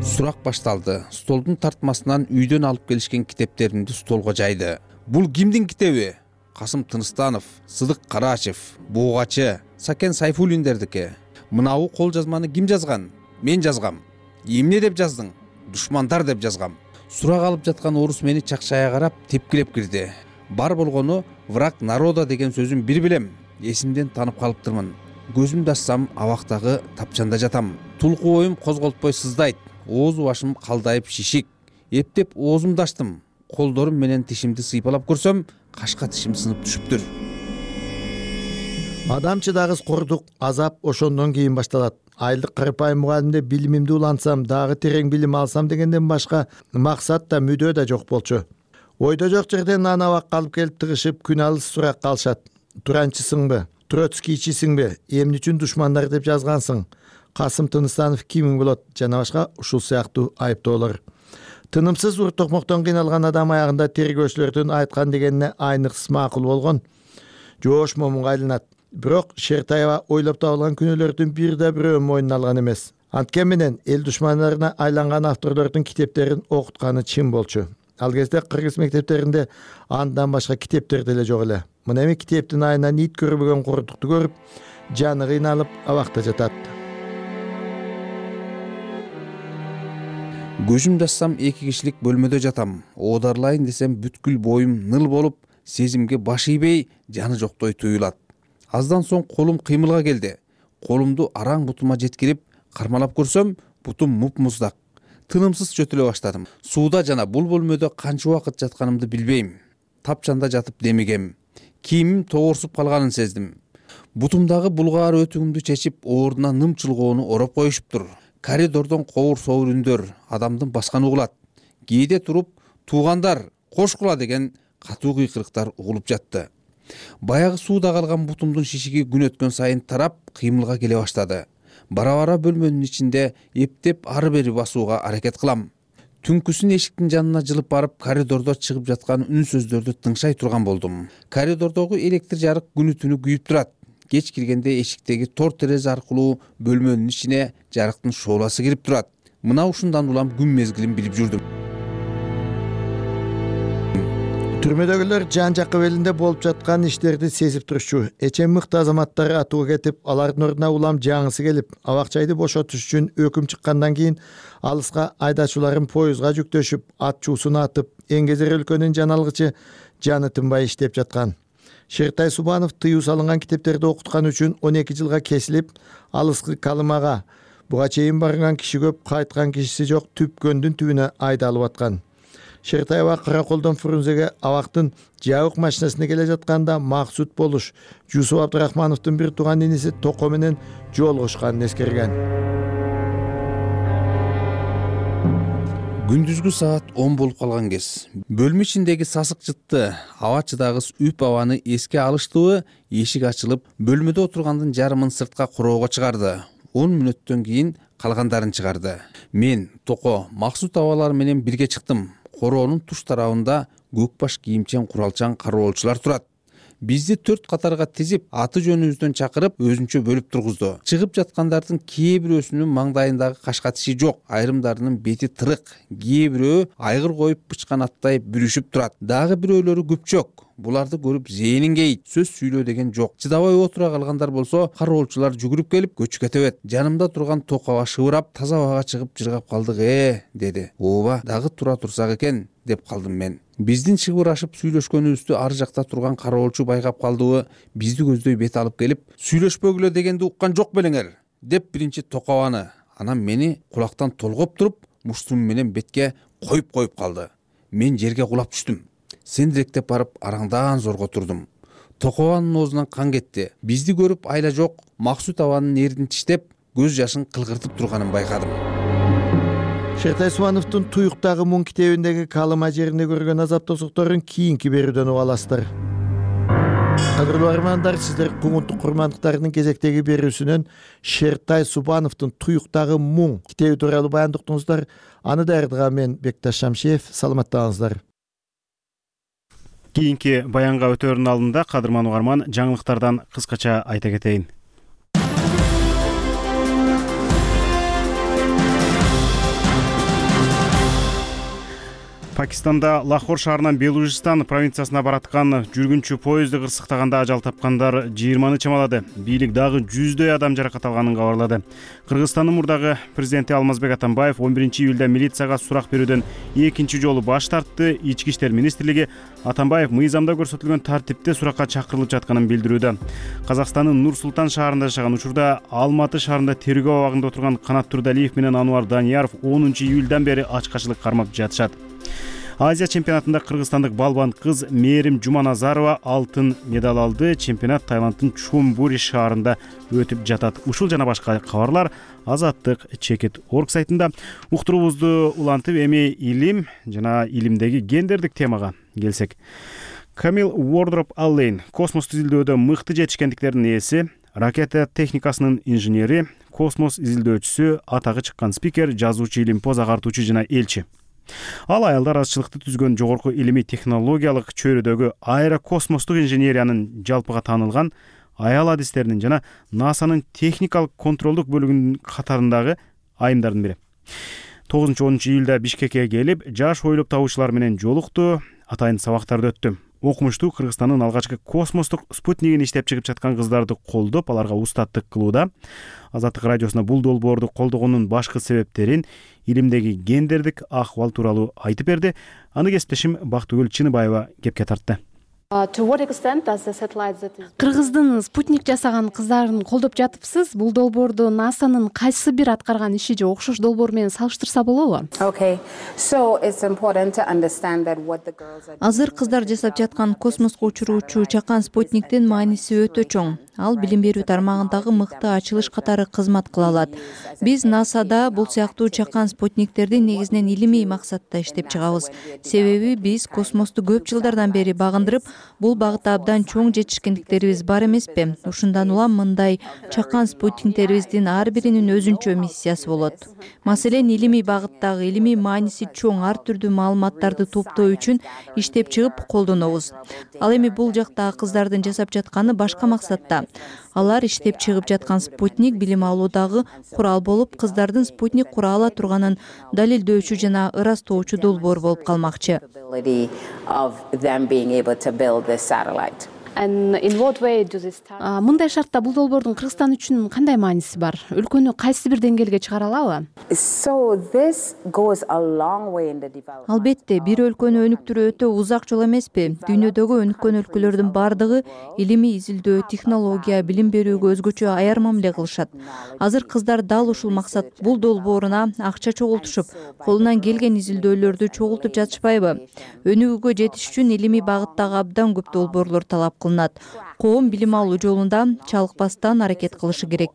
Сурак башталды. Столдун тартмасынан үйдөн алып келишкен китептеримди столго жайды. Бул кимдин китеби? Касым Тыныстанов, Сыдык Карачев, Бугачы, Сакен Сайфуллиндердики. Мынабу кол жазманы ким жазган? Мен жазгам. Эмне деп жаздың? Душмандар деп жазгам. Сурак алып жаткан орус мени чакчая карап тепкилеп кирди. Бар болгону враг народа деген сөзүн бир билем. Эсимден танып калыптырмын. Көзүмдү ачсам абактагы тапчанда жатам. Тулку оюм козголтпой сыздайт. Ооз башым калдайып шишик. Эптеп оозумду ачтым. Колдорум менен тишимди сыйпалап көрсөм, кашка тишим сынып түшүптүр. Адам чыдагыс кордук, азап ошондон кийин башталат. Айылдык карапайым мугалимде билимимди улантсам, дагы терең билим алсам дегенден башка максат да мүдөө да жок болчу. Ойдо жок жерден ана абакка алып келип тыгышып күн алыс сурак калышат. Туранчысыңбы? Троцкийчисиңби? Эмне үчүн душмандар деп жазгансың? Касым Тыныстанов кимиң болот? Жана башка ушул сыяктуу айыптоолор. Тынымсыз ур токмоктон кыйналган адам аягында тергөөчүлөрдүн айткан дегенине айныксыз макул болгон жоош момунга айланат. Бирок Шертаева ойлоп табылган күнөөлөрдүн бир да бирөөнүн мойнуна алган эмес. Анткени менен эл душмандарына айланган авторлордун китептерин окутканы чын болчу. Ал кезде кыргыз мектептеринде андан башка китептер деле жок эле. Мына эми китептин айынан ит көрбөгөн кордукту көрүп, жаны кыйналып абакта жатат. Көзүмдү ачсам эки кишилик бөлмөдө жатам. Оодарлайын десем бүткүл боюм ныл болуп, сезимге баш ийбей, жаны жоктой туюлат. Аздан соң колум кыймылга келди. Колумду араң бутума жеткирип, кармалап көрсөм, бутум муп-муздак. Тынымсыз чөтүлө баштадым. Сууда жана бул бөлмөдө канча убакыт жатканымды билбейм. Тапчанда жатып демигем. Кийимим тогорсуп калганын сездим. Бутумдагы булгаар өтүгүмдү чечип, ордуна ным чылгоону ороп коюшуптур. Коридордон ковур-совур үндөр адамдын басканы угулат. Кээде туруп, туугандар, кошкула деген катуу кыйкырыктар угулуп жатты. Баягы сууда калган бутумдун шишиги күн өткөн сайын тарап, кыймылга келе баштады. Бара-бара бөлмөнүн ичинде эптеп ары-бери басууга аракет кылам. Түнкүсүн эшиктин жанына жылып барып, коридордо чыгып жаткан үн сөздөрдү тыңшай турган болдум. Коридордогу электр жарык күнү түнү күйүп турат. Кеч киргенде эшиктеги тор терезе аркылуу бөлмөнүн ичине жарыктын шооласы кирип турат. Мына ушундан улам күн мезгилин билип жүрдүм. Түрмөдөгүлөр жан жак белинде болуп жаткан иштерди сезип турчу. Эчем мыкты азаматтар атууга кетип, алардын ордуна улам жаңысы келип, абакчайды бошотуш үчүн өкүм чыккандан кийин алыска айдачуларын поездга жүктөшүп, ат чуусуна атып, Эңгезер өлкөнүн жаналгычы жаны тынбай иштеп жаткан. Шертай Субанов тыюу салынган китептерди окуткан үчүн он эки жылга кесилип, алыскы Калымага буга чейин барган киши көп, кайткан кишиси жок түпкөндүн түбүнө айдалып аткан. Шертаева Караколдон Фрунзеге абактын жабык машинасына келе жатканда Максут Болуш Жусуп Абдрахмановдун бир тууган иниси Токо менен жолугушканын эскерген. Күндүзгү саат он болуп калган кез. Бөлмө ичиндеги сасык жытты, аба чыдагыс үп абаны эске алыштыбы, эшик ачылып, бөлмөдө отургандын жарымын сыртка короого чыгарды. он мүнөттөн кийин калгандарын чыгарды. Мен Токо, Максут абалар менен бирге чыктым. Короонун туш тарабында көкбаш кийимчен куралчан кароолчулар турат. Бизди төрт катарга тизип, аты жөнүбүздөн чакырып, өзүнчө бөлүп тургузду. Чыгып жаткандардын кээ бирөөсүнүн маңдайындагы кашка тиши жок, айрымдарынын бети тырык, кээ бирөө айгыр коюп бычкан аттай бүрүшүп турат. Дагы бирөөлөрү күпчөк. Буларды көрүп зээнин кейит, сөз сүйлөө деген жок. Чыдабай отура калгандар болсо, кароолчулар жүгүрүп келип көчкө тебет. Жанымда турган Токоға шыбырап, таза абага чыгып жыргап калдык э, деди. Ооба, дагы тура турсак экен, деп калдым мен. Биздин чыгырашып сүйлөшкөнүбүздү ар жакта турган кароолчу байкап калдыбы, бизди көздөй бет алып келип, "Сүйлөшпөгүлө дегенди уккан жок белеңер", деп биринчи Токобаны, анан мени кулактан толгоп туруп, муштум менен бетке коюп коюп калды. Мен жерге кулап түштүм. Сендиректеп барып араңдан зорго турдум. Токобанын оозунан кан кетти. Бизди көрүп айла жок, Максут абанын эрдин тиштеп, көз жашын кылгыртып турганын байкадым. Шертай Субановдун Туюктагы муң китебиндеги Калыма жеринде көргөн азап тосукторун кийинки берүүдөн уга аласыздар. Кадырлуу армандар, сиздер Куңуттук курмандыктарынын кезектеги берүүсүнөн Шертай Субановдун Туюктагы муң китеби тууралуу баяндап уктуңуздар. Аны даярдаган мен Бекташ Шамшиев. Саламаттаңыздар. Кийинки баянга өтөөрүнүн алдында кадырман угарман жаңылыктардан кыскача айта кетейин. Пакистанда Лахор шаарынан Белужистан провинциясына бараткан жүргүнчү поезду кырсыктаганда ажал тапкандар жыйырманы чамалады. Бийлик дагы жүздөй адам жаракат алганын кабарлады. Кыргызстандын мурдагы президенти Алмазбек Атамбаев он биринчи июлда милицияга сурак берүүдөн экинчи жолу баш тартты. Ички иштер министрлиги Атамбаев мыйзамда көрсөтүлгөн тартипте суракка чакырылып жатканын билдирүүдө. Казакстандын Нур Султан шаарында жашаган учурда Алматы шаарында тергөө абагында отурган Канат Турдалиев менен Ануар Данияров онунчу июлдан бери ачкачылык кармап жатышат. Азия чемпионатында кыргызстандык балбан кыз Мерим Жуманазарова алтын медаль алды. Чемпионат Таиланддын Чумбури шаарында өтүп жатат. Ушул жана башка кабарлар Азаттык чекит орг сайтында. Уктуруубузду улантып, эми илим жана илимдеги гендердик темага келсек. Камил Уордроп Аллейн космос изилдөөдө мыкты жетишкендиктердин ээси, ракета техникасынын инженери, космос изилдөөчүсү, атагы чыккан спикер, жазуучу, илимпоз агартуучу жана элчи. Ал аялдар азчылыкты түзгөн жогорку илимий технологиялык чөйрөдөгү аэрокосмостук инженериянын жалпыга таанылган аял адистеринин жана НАСАнын техникалык контролдук бөлүгүнүн катарындагы айымдардын бири. тогузунчу онунчу июлда Бишкекке келип, жаш ойлоп табуучулар менен жолукту, атайын сабактарды өттү. Окумуштуу Кыргызстандын алгачкы космостук спутнигин иштеп чыгып жаткан кыздарды колдоп, аларга устаттык кылууда. Азаттык радиосуна бул долбоорду колдогонун башкы себептерин, илимдеги гендердик акыбал тууралуу айтып берди. Аны кесиптешим Бактыгүл Чыныбаева кепке тартты. Кыргыздын спутник жасаган кыздарын колдоп жатыпсыз. Бул долбоорду НАСАнын кайсы бир аткарган иши же окшош долбоор менен салыштырса болобу? Азыр кыздар жасап жаткан космоско учуруучу чакан спутниктин мааниси өтө чоң. Ал билим берүү тармагындагы мыкты ачылыш катары кызмат кыла алат. Биз НАСАда бул сыяктуу чакан спутниктерди негизинен илимий максатта иштеп чыгабыз. Себеби биз космосту көп жылдардан бери багындырып, бул багытта абдан чоң жетишкендиктерибиз бар эмеспи? Ушундан улам мындай чакан спутниктерибиздин ар биринин өзүнчө миссиясы болот. Маселен, илимий багыттагы илимий мааниси чоң ар түрдүү маалыматтарды топтоо үчүн иштеп чыгып колдонобуз. Ал эми бул жактагы кыздардын жасап жатканы башка максатта. Алар иштеп чыгып жаткан спутник билим алуудагы курал болуп, кыздардын спутник кура ала турганын далилдөөчү жана ырастоочу долбоор болуп калмакчы. Мындай шартта бул долбоордун Кыргызстан үчүн кандай мааниси бар? Өлкөнү кайсы бир деңгээлге чыгара алабы? Албетте, бир өлкөнү өнүктүрүү өтө узак жол эмеспи? Дүйнөдөгү өнүккөн өлкөлөрдүн бардыгы илимий изилдөө, технология, билим берүүгө өзгөчө аяр мамиле кылышат. Азыр кыздар дал ушул максат бул долбооруна акча чогултушуп, колунан келген изилдөөлөрдү чогултуп жатышпайбы? Өнүгүүгө жетиш үчүн илимий багыттагы абдан көп долбоорлор талап кылынат. Коом билим алуу жолунда чалыкпастан аракет кылышы керек.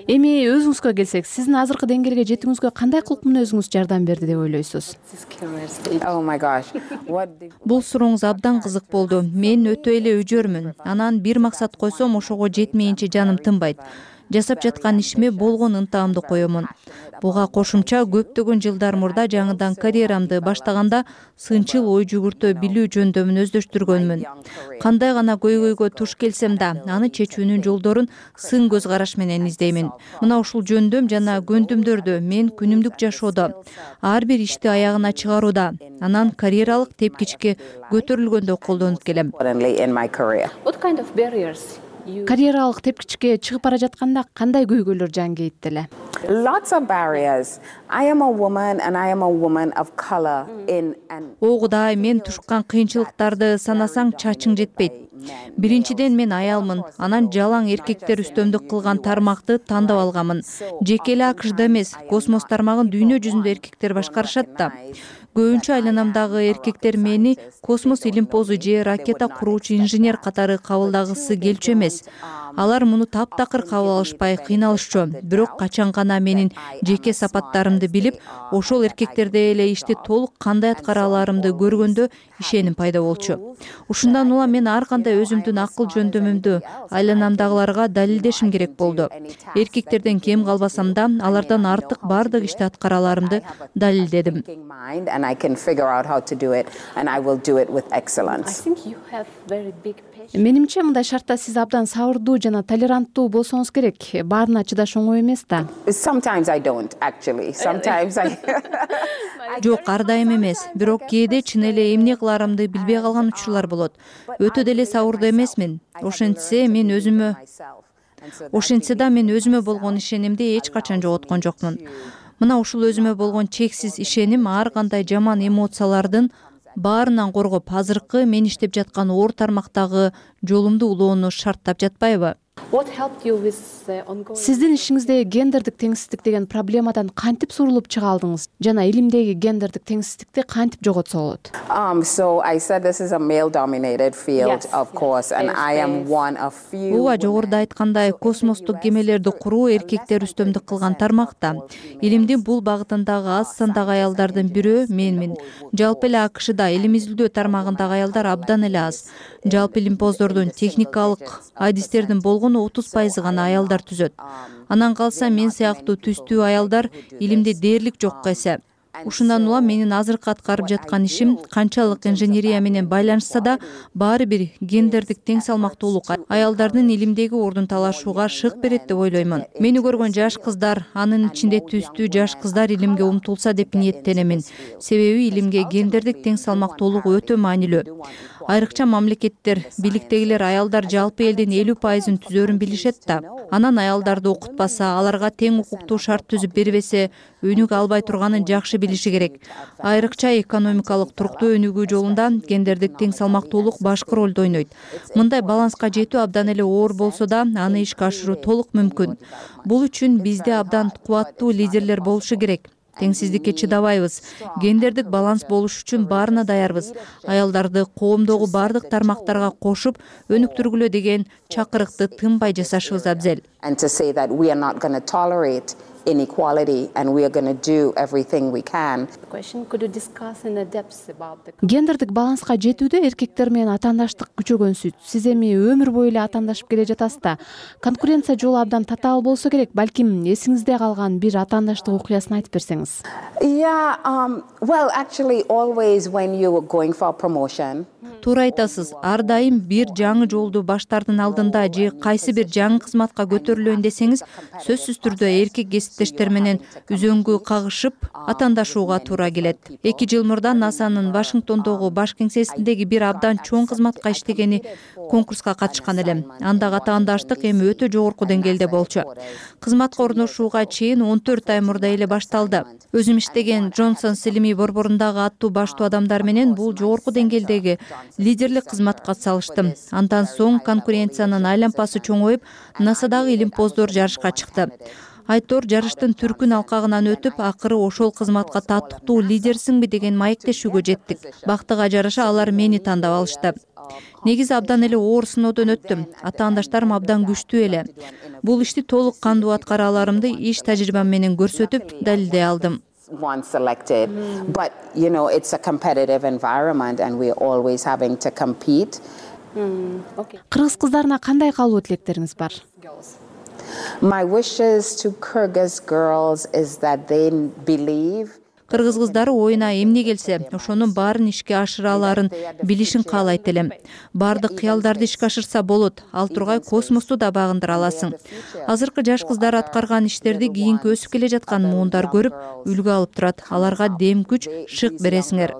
Эми өзүңүзгө келсек, сиздин азыркы деңгээлге жетүүңүзгө кандай кылык мүнөзүңүз жардам берди деп ойлойсуз? Бул сурооңуз абдан кызык болду. Мен өтө эле өжөрмүн. Анан бир максат койсом, ошого жетмейинче жаным тынбайт. Жасап жаткан ишиме болгон ынтаамды коёмун. Буга кошумча көптөгөн жылдар мурда жаңыдан карьерамды баштаганда сынчыл ой жүгүртө билүү жөндөмүн өздөштүргөнмүн. Кандай гана көйгөйгө туш келсем да, аны чечүүнүн жолдорун сын көз караш менен издеймин. Мына ушул жөндөм жана көндүмдөрдү мен күнүмдүк жашоодо, ар бир ишти аягына чыгарууда, анан карьералык тепкичке көтөрүлгөндө колдонуп келем. Карьералык тепкичке чыгып бара жатканда кандай көйгөйлөр жан кейитти эле? Огудай мен тушкан кыйынчылыктарды санасаң чачың жетпейт. Биринчиден мен аялмын, анан жалаң эркектер үстөмдүк кылган тармакты тандап алганмын. Жеке эле АКШда эмес, космос тармагын дүйнө жүзүндө эркектер башкарышат да. Көбүнчө айланамдагы эркектер мени космос илимпозу же ракета куруучу инженер катары кабылдагысы келчү эмес. Алар муну таптакыр кабыл алышпай кыйналышчу. Бирок качан гана менин жеке сапаттарымды билип, ошол эркектерде эле ишти толук кандай аткара аларымды көргөндө ишеним пайда болчу. Ушундан улам мен ар кандай өзүмдүн акыл жөндөмүмдү айланамдагыларга далилдешим керек болду. Эркектерден кем калбасам да, алардан артык бардык ишти аткара аларымды далилдедим. Менимче мындай шартта сиз абдан сабырдуу жана толеранттуу болсоңуз керек. Баарына чыдаш оңой эмес да. Жок, ар дайым эмес. Бирок кээде чын эле эмне кыларымды билбей калган учурлар болот. Өтө деле сабырдуу эмесмин. Ошентсе мен өзүмө Ошентсе да мен өзүмө болгон ишенимди эч качан жоготкон жокмун. Мына ушул өзүмө болгон чексиз ишеним ар кандай жаман эмоциялардын баарынан коргоп, азыркы мен иштеп жаткан оор тармактагы жолумду улоону шарттап жатпайбы? Сиздин ишиңизде гендердик теңсиздик деген проблемадан кантип сурулуп чыга алдыңыз жана илимдеги гендердик теңсиздикти кантип жоготсо болот? Ооба, жогоруда айткандай, космостук кемелерди куруу эркектер үстөмдүк кылган тармакта. Илимдин бул багытындагы аз сандагы аялдардын бирөө менмин. Жалпы эле АКШда илим изилдөө тармагындагы аялдар абдан эле аз. Жалпы илимпоздордун техникалык адистердин болгону отуз пайызы гана аялдар түзөт. Анан калса мен сыяктуу түстүү аялдар илимде дээрлик жокко эсе. Ушундан улам менин азыркы аткарып жаткан ишим канчалык инженерия менен байланышса да, баары бир гендердик тең салмактуулук аялдардын илимдеги ордун талашууга шык берет деп ойлоймун. Мени көргөн жаш кыздар, анын ичинде түстүү жаш кыздар илимге умтулса деп ниеттенемин. Себеби илимге гендердик тең салмактуулук өтө маанилүү. Айрыкча мамлекеттер, бийликтегилер аялдар жалпы элдин элүү пайызын түзөрүн билишет да. Анан аялдарды окутпаса, аларга тең укуктуу шарт түзүп бербесе, өнүгө албай турганын жакшы билиши керек. Айрыкча экономикалык туруктуу өнүгүү жолунда гендердик тең салмактуулук башкы ролду ойнойт. Мындай баланска жетүү абдан эле оор болсо да, аны ишке ашыруу толук мүмкүн. Бул үчүн бизде абдан кубаттуу лидерлер болушу керек. Теңсиздикке чыдабайбыз. Гендердик баланс болуш үчүн баарына даярбыз. Аялдарды коомдогу бардык тармактарга кошуп, өнүктүргүлө деген чакырыкты тынбай жасашыбыз абзел. Inequality, and we are going to do everything we can. Гендердик баланска жетүүдө эркектер менен атаандаштык күчөгөнсүт. Сиз эми өмүр бою эле атаандашып келе жатасыз да. Конкуренция жолу абдан татаал болсо керек. Балким эсиңизде калган бир атаандаштык окуясын айтып берсеңиз. Yeah, um, well, actually, always when you were going for promotion. Туура айтасыз. Ар дайым бир жаңы жолду баштардын алдында же кайсы бир жаңы кызматка көтөрүлөйүн десеңиз, сөзсүз түрдө эркек кесиптештер менен үзөңгү кагышып, атаандашууга туура келет. Эки жыл мурда НАСАнын Вашингтондогу баш кеңсесиндеги бир абдан чоң кызматка иштегени конкурска катышкан элем. Андагы атаандаштык эми өтө жогорку деңгээлде болчу. Кызматка орношууга чейин он төрт ай мурда эле башталды. Өзүм иштеген Джонсонс илимий борборундагы аттуу баштуу адамдар менен бул жогорку деңгээлдеги лидерлик кызматка салыштым. Андан соң конкуренциянын айлампасы чоңоюп, НАСАдагы илимпоздор жарышка чыкты. Айтор жарыштын түркүн алкагынан өтүп, акыры ошол кызматка татыктуу лидерсиңби деген маектешүүгө жеттик. Бактыга жараша алар мени тандап алышты. Негизи абдан эле оор сыноодон өттүм. Атаандаштарым абдан күчтүү эле. Бул ишти толук кандуу аткара аларымды иш тажрыйбам менен көрсөтүп, далилдей алдым. Once selected, but you know it's a competitive environment and we're always having to compete. Кыргыз кыздарына кандай калуу тилектериңиз бар? My wishes to Kyrgyz girls is that they believe. Кыргыз кыздары оюна эмне келсе, ошонун баарын ишке ашыра аларын билишин каалайт элем. Бардык кыялдарды ишке ашырса болот, ал тургай космосту да багындыра аласың. Азыркы жаш кыздар аткарган иштерди кийинки өсүп келе жаткан муундар көрүп, үлгү алып турат. Аларга дем күч, шык бересиңер.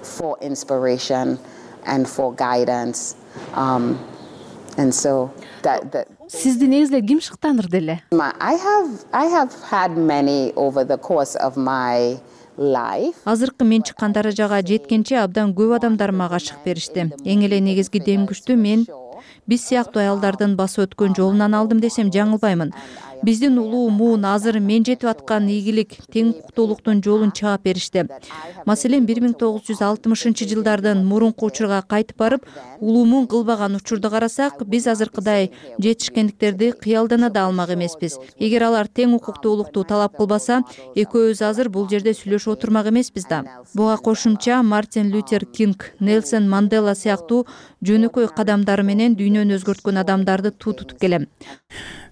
For inspiration and for guidance. Um, and so that that Сизди негизинен ким шыктандырды эле? I have I have had many over the course of my life. Азыркы мен чыккан даражага жеткенче абдан көп адамдар мага шык беришти. Эң эле негизги дем күчтү мен биз сыяктуу аялдардын басып өткөн жолунан алдым десем жаңылбаймын. биздин улуу муун азыр мен жетип аткан ийгилик, тең укуктуулуктун жолун чаап беришти. Маселен, бир миң тогуз жүз алтымышынчы жылдардын мурунку учурга кайтып барып, улуумун кылбаган учурду карасак, биз азыркыдай жетишкендиктерди кыялдана да алмак эмеспиз. Эгер алар тең укуктуулукту талап кылбаса, экөөбүз азыр бул жерде сүйлөшүп отурмак эмеспиз да. Буга кошумча Мартин Лютер Кинг, Нельсон Мандела сыяктуу жөнөкөй кадамдары менен дүйнөнү өзгөрткөн адамдарды туу тутуп келем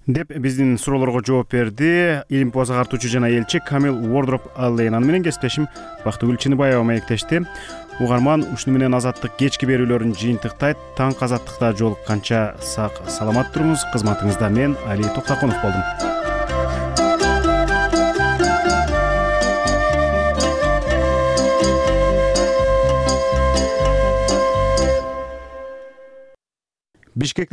деп биздин суроолорго жооп берди илимпоз агартуучу жана элчи Камил Уордроп Аллен. Аны менен кесиптешим Бактыгүл Чыныбаева маектешти. Угарман, ушуну менен Азаттык кечки берүүлөрүн жыйынтыктайт. Таң азаттыкта жолукканча сак саламат туруңуз. Кызматыңызда мен Али Токтоконов болдум. Бишкек